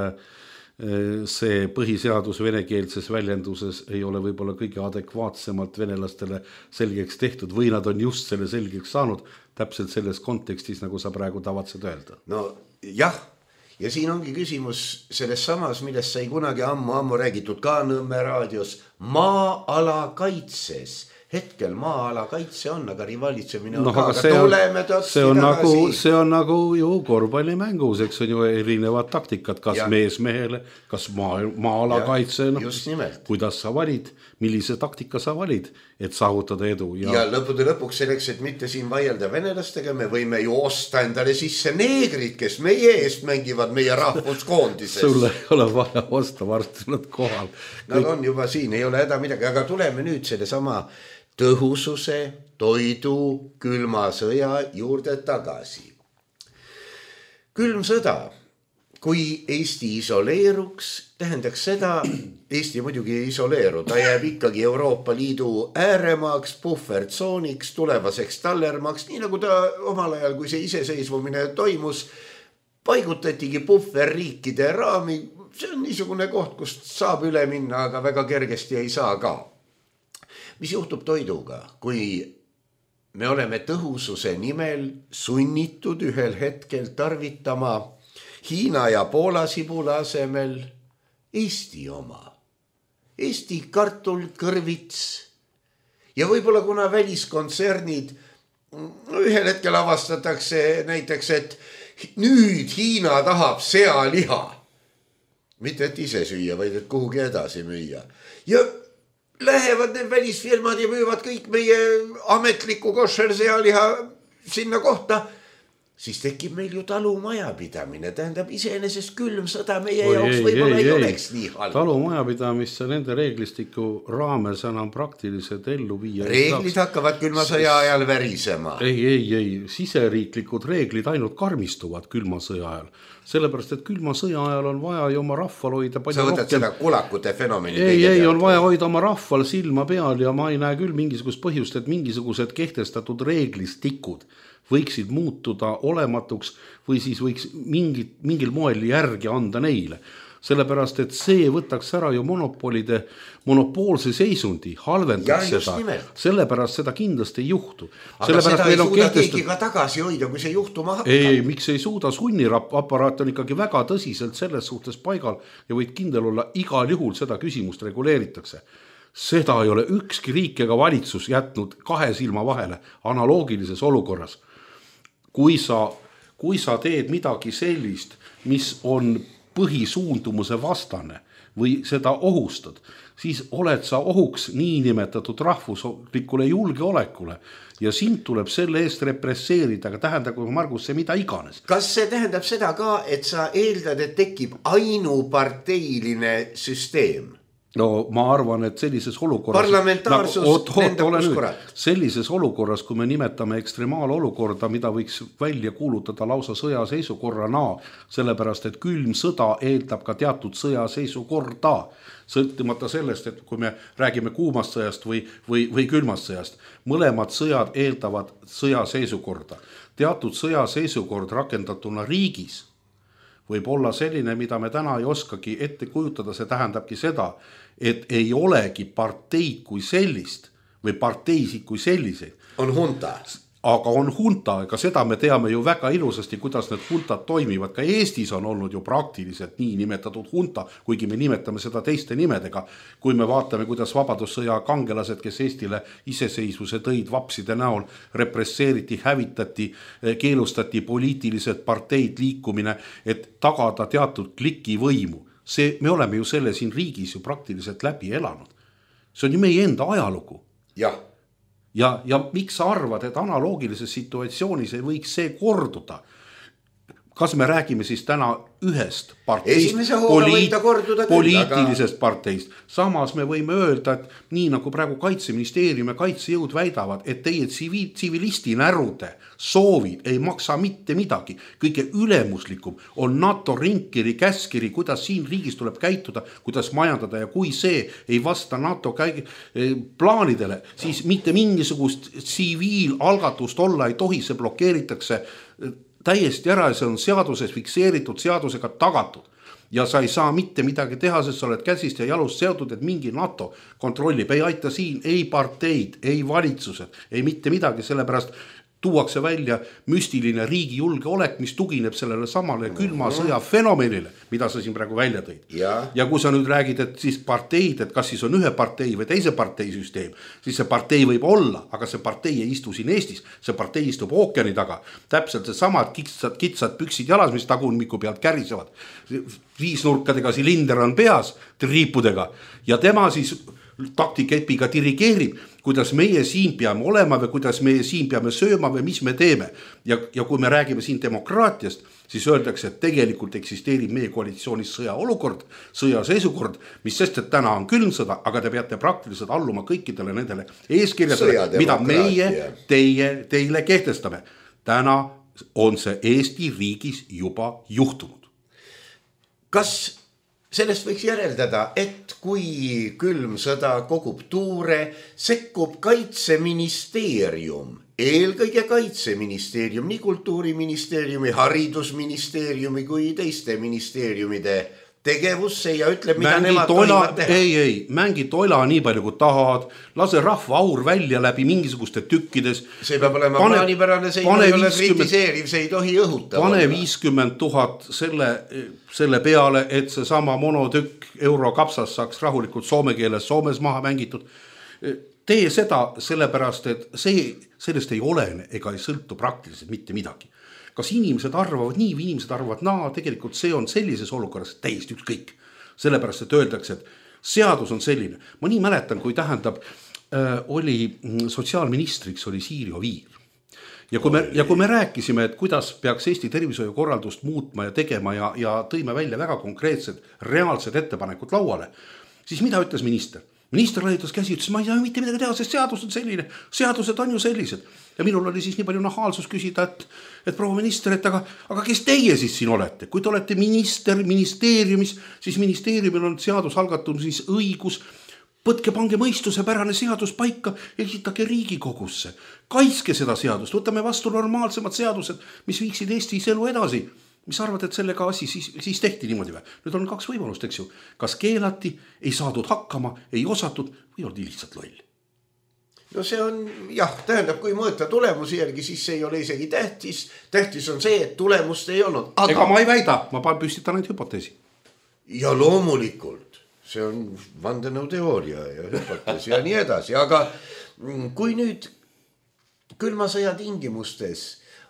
S4: see põhiseadus venekeelses väljenduses ei ole võib-olla kõige adekvaatsemalt venelastele selgeks tehtud või nad on just selle selgeks saanud täpselt selles kontekstis, nagu sa praegu tavatsed öelda.
S3: No jah, ja siin ongi küsimus selles samas, millest sai kunagi ammu-ammu räägitud ka Nõmme raadios, maa-ala kaitses. Hetkel maa-ala kaitse on, aga rivaalitsemine on no, ka, aga
S4: see tuleme tõtsi see on tagasi. Nagu, see on nagu ju korvpallimängus, eks on ju erinevad taktikad, kas ja. mees mehele, kas maa, maa-ala ja, kaitse, no, kuidas sa valid, millise taktika sa valid, et saavutada edu.
S3: Ja, ja lõpude lõpuks selleks, et mitte siin vaielda venelastega, me võime ju osta endale sisse neegrid, kes meie eest mängivad meie rahvuskoondises.
S4: Sulle ei ole vaja osta, varsti nad kohal.
S3: Nad Kõik... on juba siin, ei ole häda midagi, aga tuleme nüüd selle sama tõhususe, toidu, külma sõja juurde tagasi. Külm sõda, kui Eesti isoleeruks, tähendaks seda, Eesti muidugi ei isoleeru, ta jääb ikkagi Euroopa Liidu ääremaaks, puhvertsooniks, tulevaseks tallermaaks, nii nagu ta omal ajal, kui see iseseisvumine toimus, paigutatigi puhverriikide raami, see on niisugune koht, kust saab üle minna, aga väga kergesti ei saa ka. Mis juhtub toiduga, kui me oleme tõhususe nimel sunnitud ühel hetkel tarvitama Hiina ja Poola sibula asemel Eesti oma. Eesti kartul, kõrvits ja võib-olla kuna väliskontsernid ühel hetkel avastatakse näiteks, et nüüd Hiina tahab sealiha. Mitte et ise süüa, vaid et kuhugi edasi müüa. Ja lähevad need välisfirmad ja müüvad kõik meie ametliku košer sealiha sinna kohta, siis tekib meil ju talumajapidamine. Tähendab iseenesest külm sõda meie Oi, jaoks ei, võib-olla ei, ei oleks nii halb.
S4: Talumajapidamisse nende reeglistiku raames enam praktiliselt ellu viia.
S3: Reeglid saaks. Hakkavad külma sõja ajal värisema.
S4: Ei, ei, ei. Siseriiklikud reeglid ainult karmistuvad külma sõja ajal. Sellepärast, et külma sõja ajal on vaja ju oma rahval hoida
S3: palju rohkem. Sa võtad rohkem... seda kulakute fenomeni.
S4: Ei, ei, on vaja hoida oma rahval silma peal ja ma ei näe küll mingisugust põhjust, et mingisugused kehtestatud reeglistikud võiksid muutuda olematuks või siis võiks mingit, mingil moel järgi anda neile. Sellepärast, et see võtaks ära ju monopolide, monopoolse seisundi, halvendaks ja, seda. Sellepärast seda kindlasti ei juhtu.
S3: Aga seda ei suuda kehtestat... keegi ka tagasi hoida, kui see juhtuma hakkab.
S4: Ei, ei, miks ei suuda? Sunniraparaat on ikkagi väga tõsiselt selles suhtes paigal ja võid kindel olla, igal juhul seda küsimust reguleeritakse. seda ei ole ükski riik ega valitsus jätnud kahe silma vahele analoogilises olukorras. Kui sa, kui sa teed midagi sellist, mis on põhisuundumuse vastane või seda ohustad, siis oled sa ohuks niinimetatud rahvuslikule julgeolekule ja sind tuleb selle eest represseerida, aga tähendab, kui Margus, see mida iganes.
S3: Kas see tähendab seda ka, et sa eeldad, et tekib ainuparteiline süsteem?
S4: No ma arvan, et sellises olukorras
S3: parlamentaarsus
S4: nagu, oot, oot,
S3: lendab kus kurat.
S4: Sellises olukorras, kui me nimetame ekstremaalolukorda, mida võiks välja kuulutada lausa sõjaseisukorrana, sellepärast, et külm sõda eeldab ka teatud sõjaseisukorda, sõltumata sellest, et kui me räägime kuumast sõjast või, või, või külmast sõjast, mõlemad sõjad eeldavad sõjaseisukorda. Teatud sõjaseisukord rakendatuna riigis võib olla selline, mida me täna ei oskagi ette kujutada, see tähendabki seda, et ei olegi parteid kui sellist või parteisid kui selliseid.
S3: On hunta.
S4: Aga on hunta, ega seda me teame ju väga ilusasti, kuidas need huntad toimivad. Ka Eestis on olnud ju praktiliselt nii nimetatud hunta, kuigi me nimetame seda teiste nimedega. Kui me vaatame, kuidas vabadussõja kangelased, kes Eestile iseseisvuse tõid vapside näol, represseeriti, hävitati, keelustati poliitilised parteid liikumine, et tagada teatud kliki võimu. See, me oleme ju selle siin riigis ju praktiliselt läbi elanud. See on ju meie enda ajalugu.
S3: Jah.
S4: Ja, ja miks sa arvad, et analoogilises situatsioonis ei võiks see korduda? Kas me räägime siis täna ühest parteist, poliit, poliitilisest aga... parteist? Samas me võime öelda, et nii nagu praegu Kaitseministeerium ja kaitsejõud väidavad, et teie tsivilisti närude soovid ei maksa mitte midagi. Kõige ülemuslikum on NATO ringkiri, käskiri, kuidas siin riigis tuleb käituda, kuidas majandada ja kui see ei vasta NATO käi... plaanidele, siis mitte mingisugust tsiviilalgatust olla ei tohi, see blokeeritakse täiesti ära ja see on seaduses fikseeritud, seadusega tagatud. Ja sa ei saa mitte midagi teha, sest sa oled käsist ja jalust seotud, et mingi NATO kontrollib. Ei aita siin, ei parteid, ei valitsused, ei mitte midagi, sellepärast tuuakse välja müstiline riigi julgeolek, mis tugineb sellele samale külma sõja fenomenile, mida sa siin praegu välja tõid.
S3: Ja.
S4: ja kui sa nüüd räägid, et siis parteid, et kas siis on ühe partei või teise partei süsteem, siis see partei võib olla, aga see partei ei istu siin Eestis, see partei istub ookeani taga. Täpselt see samad kitsad, kitsad püksid jalas, mis tagunmiku pealt kärisevad. Viisnurkadega silinder on peas, triipudega ja tema siis taktikepiga dirigeerib, kuidas meie siin peame olema või kuidas meie siin peame sööma või mis me teeme. Ja, ja kui me räägime siin demokraatiast, siis öeldakse, et tegelikult eksisteerib meie koalitsioonis sõjaolukord, sõjaseisukord, mis sest, et täna on külmsõda, aga te peate praktiliselt alluma kõikidele nendele eeskirjadele, mida meie teie, teile kehtestame. Täna on see Eesti riigis juba juhtunud.
S3: Kas sellest võiks järeldada, et kui külm sõda kogub tuure, sekkub Kaitseministeerium, eelkõige Kaitseministeerium, nii Kultuuriministeeriumi, Haridusministeeriumi kui teiste ministeeriumide tegevusse ja ütleb, mida
S4: mängi
S3: nemad
S4: toila,
S3: tohivad teha.
S4: Ei, ei, mängi toila nii palju kui tahad, lase rahva aur välja läbi mingisuguste tükkides.
S3: See peab olema pane, plaanipärane, see ei ole kritiseeriv, see ei tohi õhuta.
S4: Pane viiskümmend tuhat selle, selle peale, et see sama monotükk eurokapsas saaks rahulikult soome keeles Soomes maha mängitud. Tee seda sellepärast, et see, sellest ei olene ega ei sõltu praktiliselt mitte midagi. Kas inimesed arvavad nii või inimesed arvavad naa, tegelikult see on sellises olukorras täiesti ükskõik. Sellepärast, et öeldakse, et seadus on selline. Ma nii mäletan, kui tähendab, äh, oli sotsiaalministriks oli Siiri Oviir. Ja kui, me, ja kui me rääkisime, et kuidas peaks Eesti tervishoiukorraldust muutma ja tegema ja, ja tõime välja väga konkreetsed, reaalsed ettepanekud lauale, siis mida ütles minister? Minister laiutas käsi, ütles, ma ei saa mitte midagi teha, sest seadus on selline, seadused on ju sellised. Ja minul oli siis nii palju nahaalsus küsida, et, et proua minister, et aga, aga kes teie siis siin olete? Kui te olete minister ministeeriumis, siis ministeeriumil on seadus algatatud siis õigus, võtke pange mõistuse pärane seadus paika, esitage Riigikogusse. Kaitske seda seadust, võtame vastu normaalsemad seadused, mis viiksid Eestis elu edasi. Mis arvad, et sellega asi siis, siis tehti niimoodi või? Nüüd on kaks võimalust, eks ju. Kas keelati, ei saadud hakkama, ei osatud või oldi lihtsalt loll?
S3: No see on, jah, tähendab, kui mõõta tulemusi järgi, siis see ei ole isegi tähtis. Tähtis on see, et tulemust ei olnud.
S4: Aga... Ega ma ei väida, ma püstitan ainult hüpoteesi.
S3: Ja loomulikult, see on vandenõuteooria ja hüpotees ja nii edasi, aga kui nüüd külma sõja tingimustes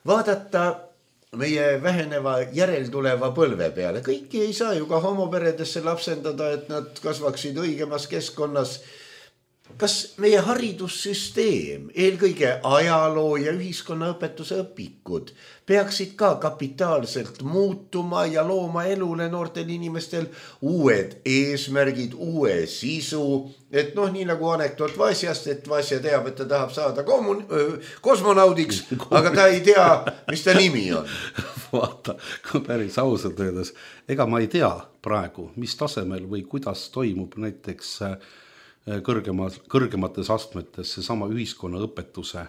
S3: vaadata meie väheneva järeltuleva põlve peale, kõiki ei saa ju ka homoperedesse lapsendada, et nad kasvaksid õigemas keskkonnas. Kas meie haridussüsteem, eelkõige ajaloo ja ühiskonnaõpetuse õpikud peaksid ka kapitaalselt muutuma ja looma elule noortel inimestel uued eesmärgid, uue sisu, et noh, nii nagu anekdoot Vasjast, et Vasja teab, et ta tahab saada kommun- kosmonaudiks, aga ta ei tea, mis ta nimi on.
S4: Vaata, kui päris ausalt öeldes, ega ma ei tea praegu, mis tasemel või kuidas toimub näiteks kõrgemas, kõrgemates astmetes seesama ühiskonna õpetuse,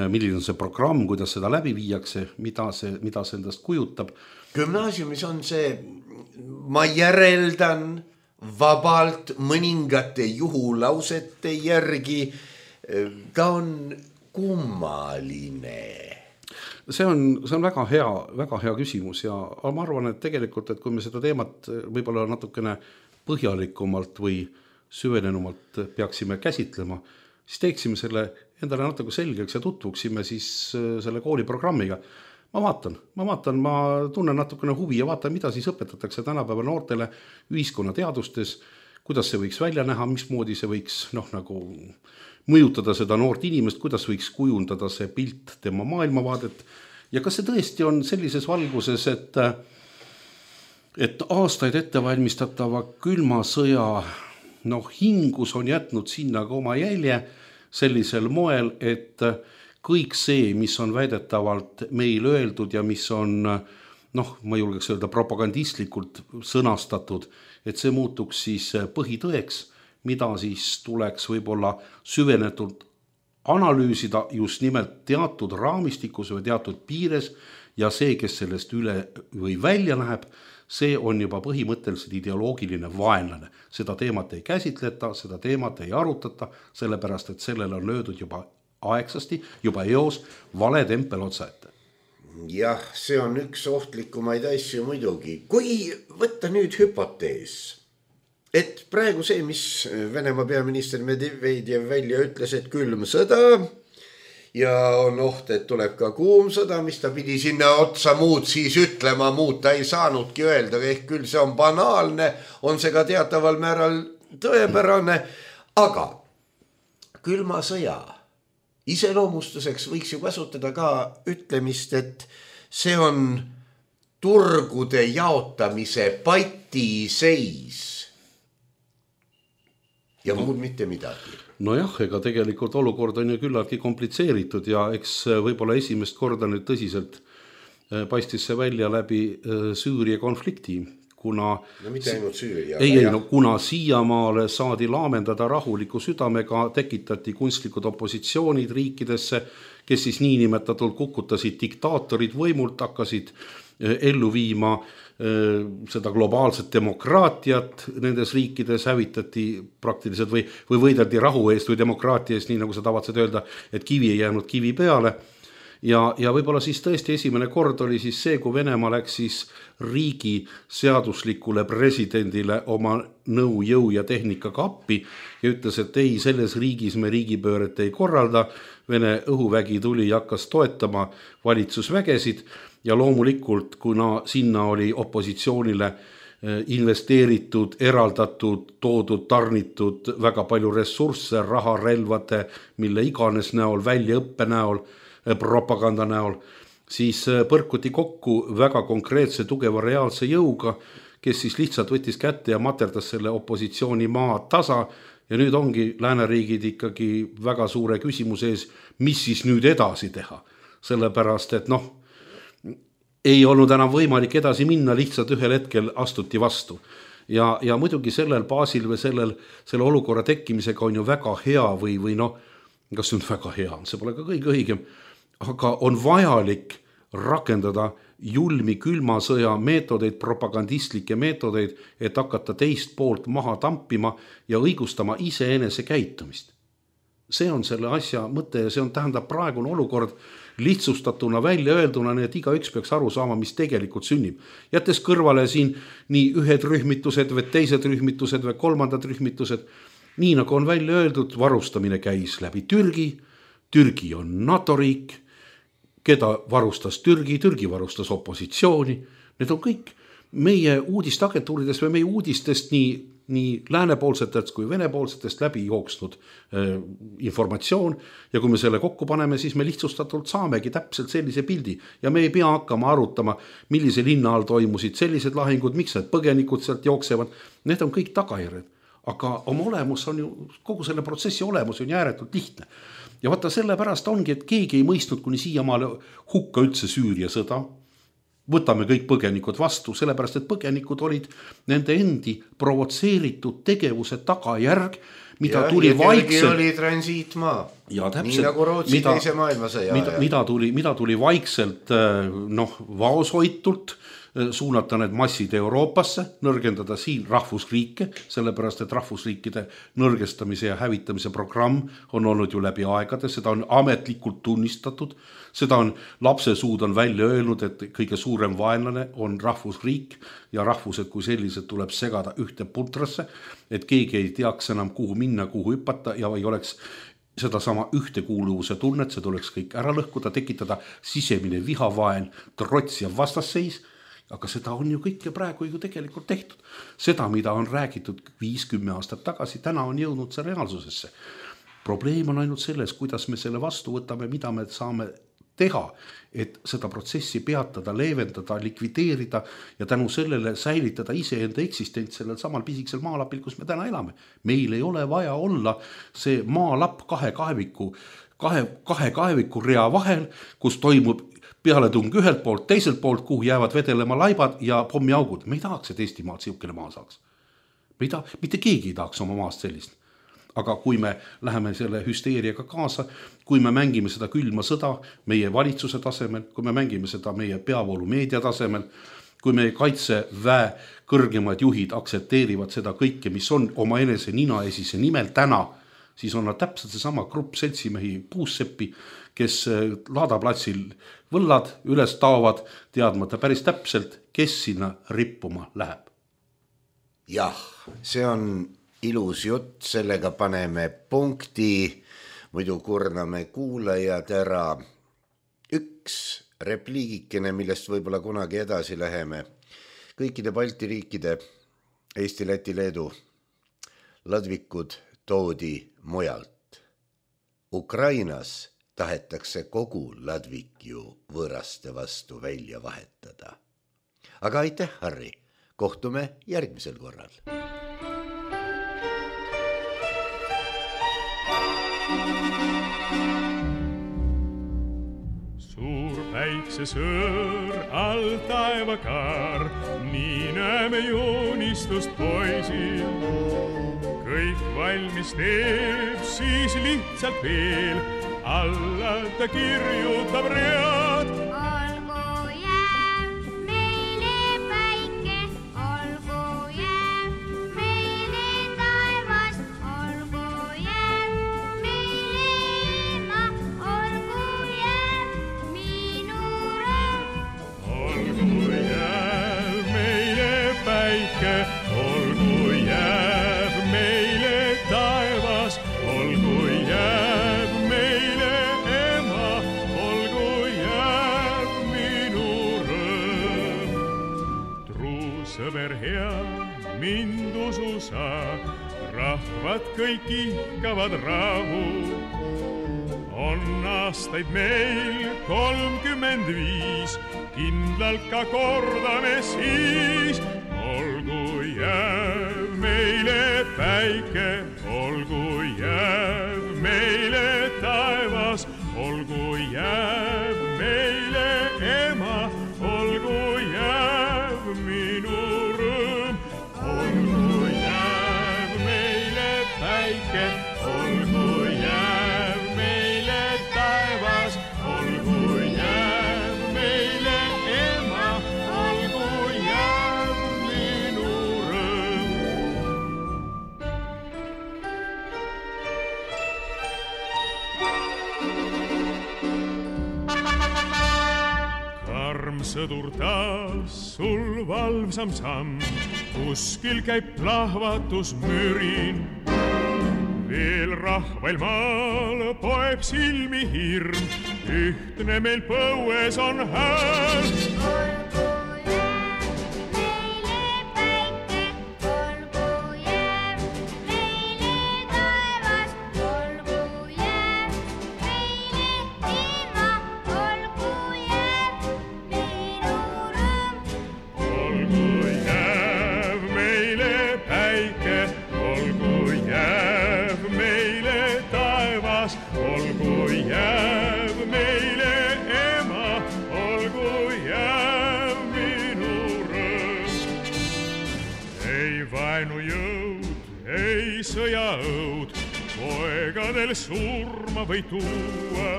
S4: milline on see programm, kuidas seda läbi viiakse, mida see, mida see endast kujutab.
S3: Gümnaasiumis on see, ma järeldan vabalt mõningate juhulausete järgi, ta on kummaline.
S4: See on, see on väga hea, väga hea küsimus ja ma arvan, et tegelikult, et kui me seda teemat võib-olla natukene põhjalikumalt või süvenenumalt peaksime käsitlema, siis teeksime selle endale natuke selgeks ja tutvuksime siis selle kooliprogrammiga. Ma vaatan, ma vaatan, ma tunnen natukene huvi ja vaatan, mida siis õpetatakse tänapäeva noortele ühiskonnateadustes, kuidas see võiks välja näha, mismoodi see võiks noh, nagu mõjutada seda noort inimest, kuidas võiks kujundada see pilt tema maailmavaadet ja kas see tõesti on sellises valguses, et, et aastaid ettevalmistatava külma sõja noh, hingus on jätnud sinna ka oma jälje sellisel moel, et kõik see, mis on väidetavalt meil öeldud ja mis on, noh, ma julgeks öelda propagandistlikult sõnastatud, et see muutuks siis põhitõeks, mida siis tuleks võib-olla süvenetult analüüsida just nimelt teatud raamistikus või teatud piires ja see, kes sellest üle või välja läheb, see on juba põhimõtteliselt ideoloogiline vaenlane. Seda teemat ei käsitleta, seda teemat ei arutata, sellepärast, et sellele on löödud juba aegsasti, juba eos vale tempel otsa ette.
S3: Jah, see on üks ohtlikumaid asju muidugi. Kui võtta nüüd hüpotees, et praegu see, mis Venemaa peaminister Medvedev välja ütles, et külm sõda ja on oht, et tuleb ka kuum sõda, mis ta pidi sinna otsa muud siis ütlema, muud ta ei saanudki öelda, ehk küll see on banaalne, on see ka teataval määral tõepärane, aga külma sõja iseloomustuseks võiks ju kasutada ka ütlemist, et see on turgude jaotamise patiseis ja muud mitte midagi.
S4: Nojah, ega tegelikult olukord on ju küllaltki komplitseeritud ja eks võib-olla esimest korda nüüd tõsiselt paistis see välja läbi Süüria konflikti, kuna
S3: no mitte ainult Süüria.
S4: Ei, ei, no kuna siiamaale saadi laamendada rahuliku südamega, tekitati kunstlikud opositsioonid riikidesse, kes siis niinimetatult kukutasid diktaatorid võimult, hakkasid ellu viima seda globaalset demokraatiat nendes riikides, hävitati praktiliselt või, või võideldi rahu eest või demokraatia eest, nii nagu sa tavatsed öelda, et kivi ei jäänud kivi peale. Ja, ja võib-olla siis tõesti esimene kord oli siis see, kui Venemaa läks siis riigi seaduslikule presidendile oma nõu, jõu ja tehnikaga appi ja ütles, et ei, selles riigis me riigipööret ei korralda. Vene õhuvägi tuli ja hakkas toetama valitsusvägesid ja loomulikult, kuna sinna oli opositsioonile investeeritud, eraldatud, toodud, tarnitud väga palju ressursse, raha, relvade, mille iganes näol, väljaõppe näol, propaganda näol, siis põrkuti kokku väga konkreetse tugeva reaalse jõuga, kes siis lihtsalt võttis kätte ja materdas selle opositsiooni maa tasa ja nüüd ongi lääneriigid ikkagi väga suure küsimuse ees, mis siis nüüd edasi teha. Sellepärast, et noh, ei olnud enam võimalik edasi minna, lihtsalt ühel hetkel astuti vastu. Ja, ja muidugi sellel baasil või sellel, selle olukorra tekkimisega on ju väga hea või, või noh, kas see on väga hea, see pole ka kõige õigem, aga on vajalik rakendada julmi külmasõja meetodeid, propagandistlikke meetodeid, et hakata teist poolt maha tampima ja õigustama iseenese käitumist. see on selle asja mõte ja see on tähendab praegune olukord lihtsustatuna välja öelduna, nii et iga üks peaks aru saama, mis tegelikult sünnib. Jättes kõrvale siin nii ühed rühmitused või teised rühmitused või kolmandad rühmitused, nii nagu on välja öeldud, varustamine käis läbi Türgi, Türgi on NATO riik, keda varustas Türgi, Türgi varustas opositsiooni, need on kõik meie uudisteagentuuridest või meie uudistest nii nii läänepoolsetest kui venepoolsetest läbi jooksnud äh, informatsioon ja kui me selle kokku paneme, siis me lihtsustatult saamegi täpselt sellise pildi ja me ei pea hakkama arutama, millise linna all toimusid sellised lahingud, miks need põgenikud sealt jooksevad, need on kõik tagajärjed, aga oma olemus on ju, kogu selle protsessi olemus on ääretult lihtne ja vaata sellepärast ongi, et keegi ei mõistnud kuni siiamaale hukka üldse Süüria sõda, võtame kõik põgenikud vastu, sellepärast et põgenikud olid nende endi provotseeritud tegevuse tagajärg, mida ja, tuli vaikselt
S3: oli transiitmaa.
S4: Ja täpselt,
S3: nii nagu Rootsi mida, teise maailmasõja
S4: mida, mida, tuli, mida tuli vaikselt noh, vaoshoitult suunata need massid Euroopasse, nõrgendada siin rahvusriike, sellepärast et rahvusriikide nõrgestamise ja hävitamise programm on olnud ju läbi aegade, seda on ametlikult tunnistatud, seda on lapsesuud on välja öelnud, et kõige suurem vaenlane on rahvusriik ja rahvused kui sellised tuleb segada ühte putrasse, et keegi ei teaks enam kuhu minna, kuhu hüpata ja ei oleks seda sama ühtekuuluvuse tunnet, see tuleks kõik ära lõhkuda, tekitada sisemine vihavaen, trots ja vastasseis, aga seda on ju kõike praegu ju tegelikult tehtud. Seda, mida on räägitud viis kümme aastat tagasi, täna on jõudnud see reaalsusesse. Probleem on ainult selles, kuidas me selle vastu võtame, mida me saame teha, et seda protsessi peatada, leevendada, likvideerida ja tänu sellele säilitada iseenda eksistents sellel samal pisiksel maalapil, kus me täna elame. Meil ei ole vaja olla see maalapp kahe kaeviku, kahe, kahe kaeviku rea vahel, kus toimub pealetung ühelt poolt, teiselt poolt, kuhu jäävad vedelema laibad ja pommiaugud. Me ei tahaks, et Eestimaalt siukene maa saaks. Me ei taha, mitte keegi ei tahaks oma maast sellist. Aga kui me läheme selle hüsteeriaga kaasa, kui me mängime seda külma sõda meie valitsuse tasemel, kui me mängime seda meie peavoolu meedia tasemel, kui meie kaitseväe kõrgemad juhid aktsepteerivad seda kõike, mis on oma enese nina esise nimel täna, siis on nad täpselt seesama grupp seltsimehi puusseppi, kes laadaplatsil võllad üles taovad, teadmata päris täpselt, kes sinna rippuma läheb.
S3: Jah, see on ilus jutt, sellega paneme punkti, muidu kurname kuulajad ära. Üks repliigikene, millest võib-olla kunagi edasi läheme. Kõikide Balti riikide, Eesti, Läti, Leedu, ladvikud toodi mujalt. Ukrainas tahetakse kogu ladvik ju võõraste vastu välja vahetada. Aga aitäh, Harri. Kohtume järgmisel korral.
S5: Suur päiksesõõr all taevakaar, nii näeme joonistust poisil. Kõik valmis teeb, siis lihtsalt veel alla ta kirjutab read.
S6: Olgu jääb meile päike, olgu jääb meile taevas, olgu jääb meile ema, olgu jääb minu rõõm.
S5: Olgu jääb meile päike, olgu jääb meile taevas, olgu jääb meile ema, olgu jääb minu rõõm. Truu sõber hea, mind usu sa, rahvad kõik ihkavad rahu. On aastaid meil kolmkümmend viis, kindlalt ka kordame siis. Olgu jääb meile päike, olgu jääb meile taevas, olgu jääb meile ema, olgu jääb minu rõõm. Olgu jääb meile päike, olgu jääb meile taevas, olgu jääb meile ema, olgu jääb minu rõõm. sõdur taas sul valvsam samm, kuskil käib plahvatus mürin. Veel rahvail maal poeb silmi hirm, ühtne meil põues on hääl. Sõjaõud poegadel surma või tuua.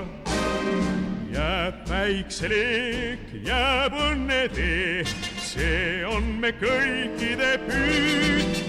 S5: Jääb päikseleek, jääb õnne tee, see on me kõikide püüd.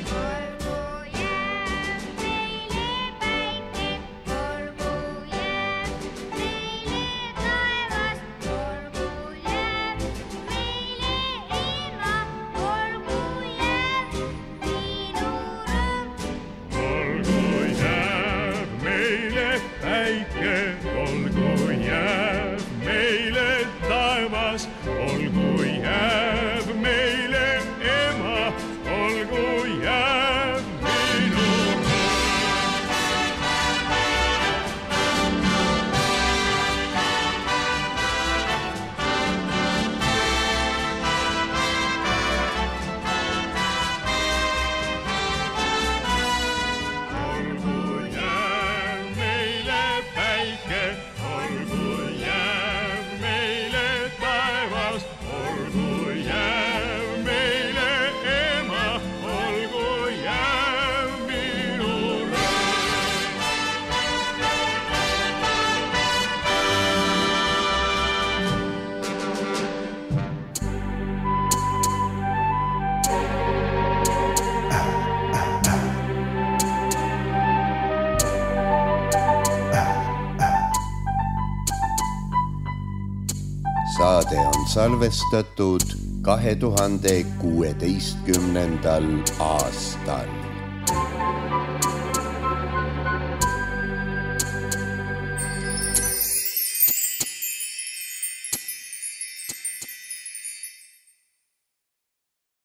S3: Saade on salvestatud kahe tuhande kuueteistkümnendal aastal.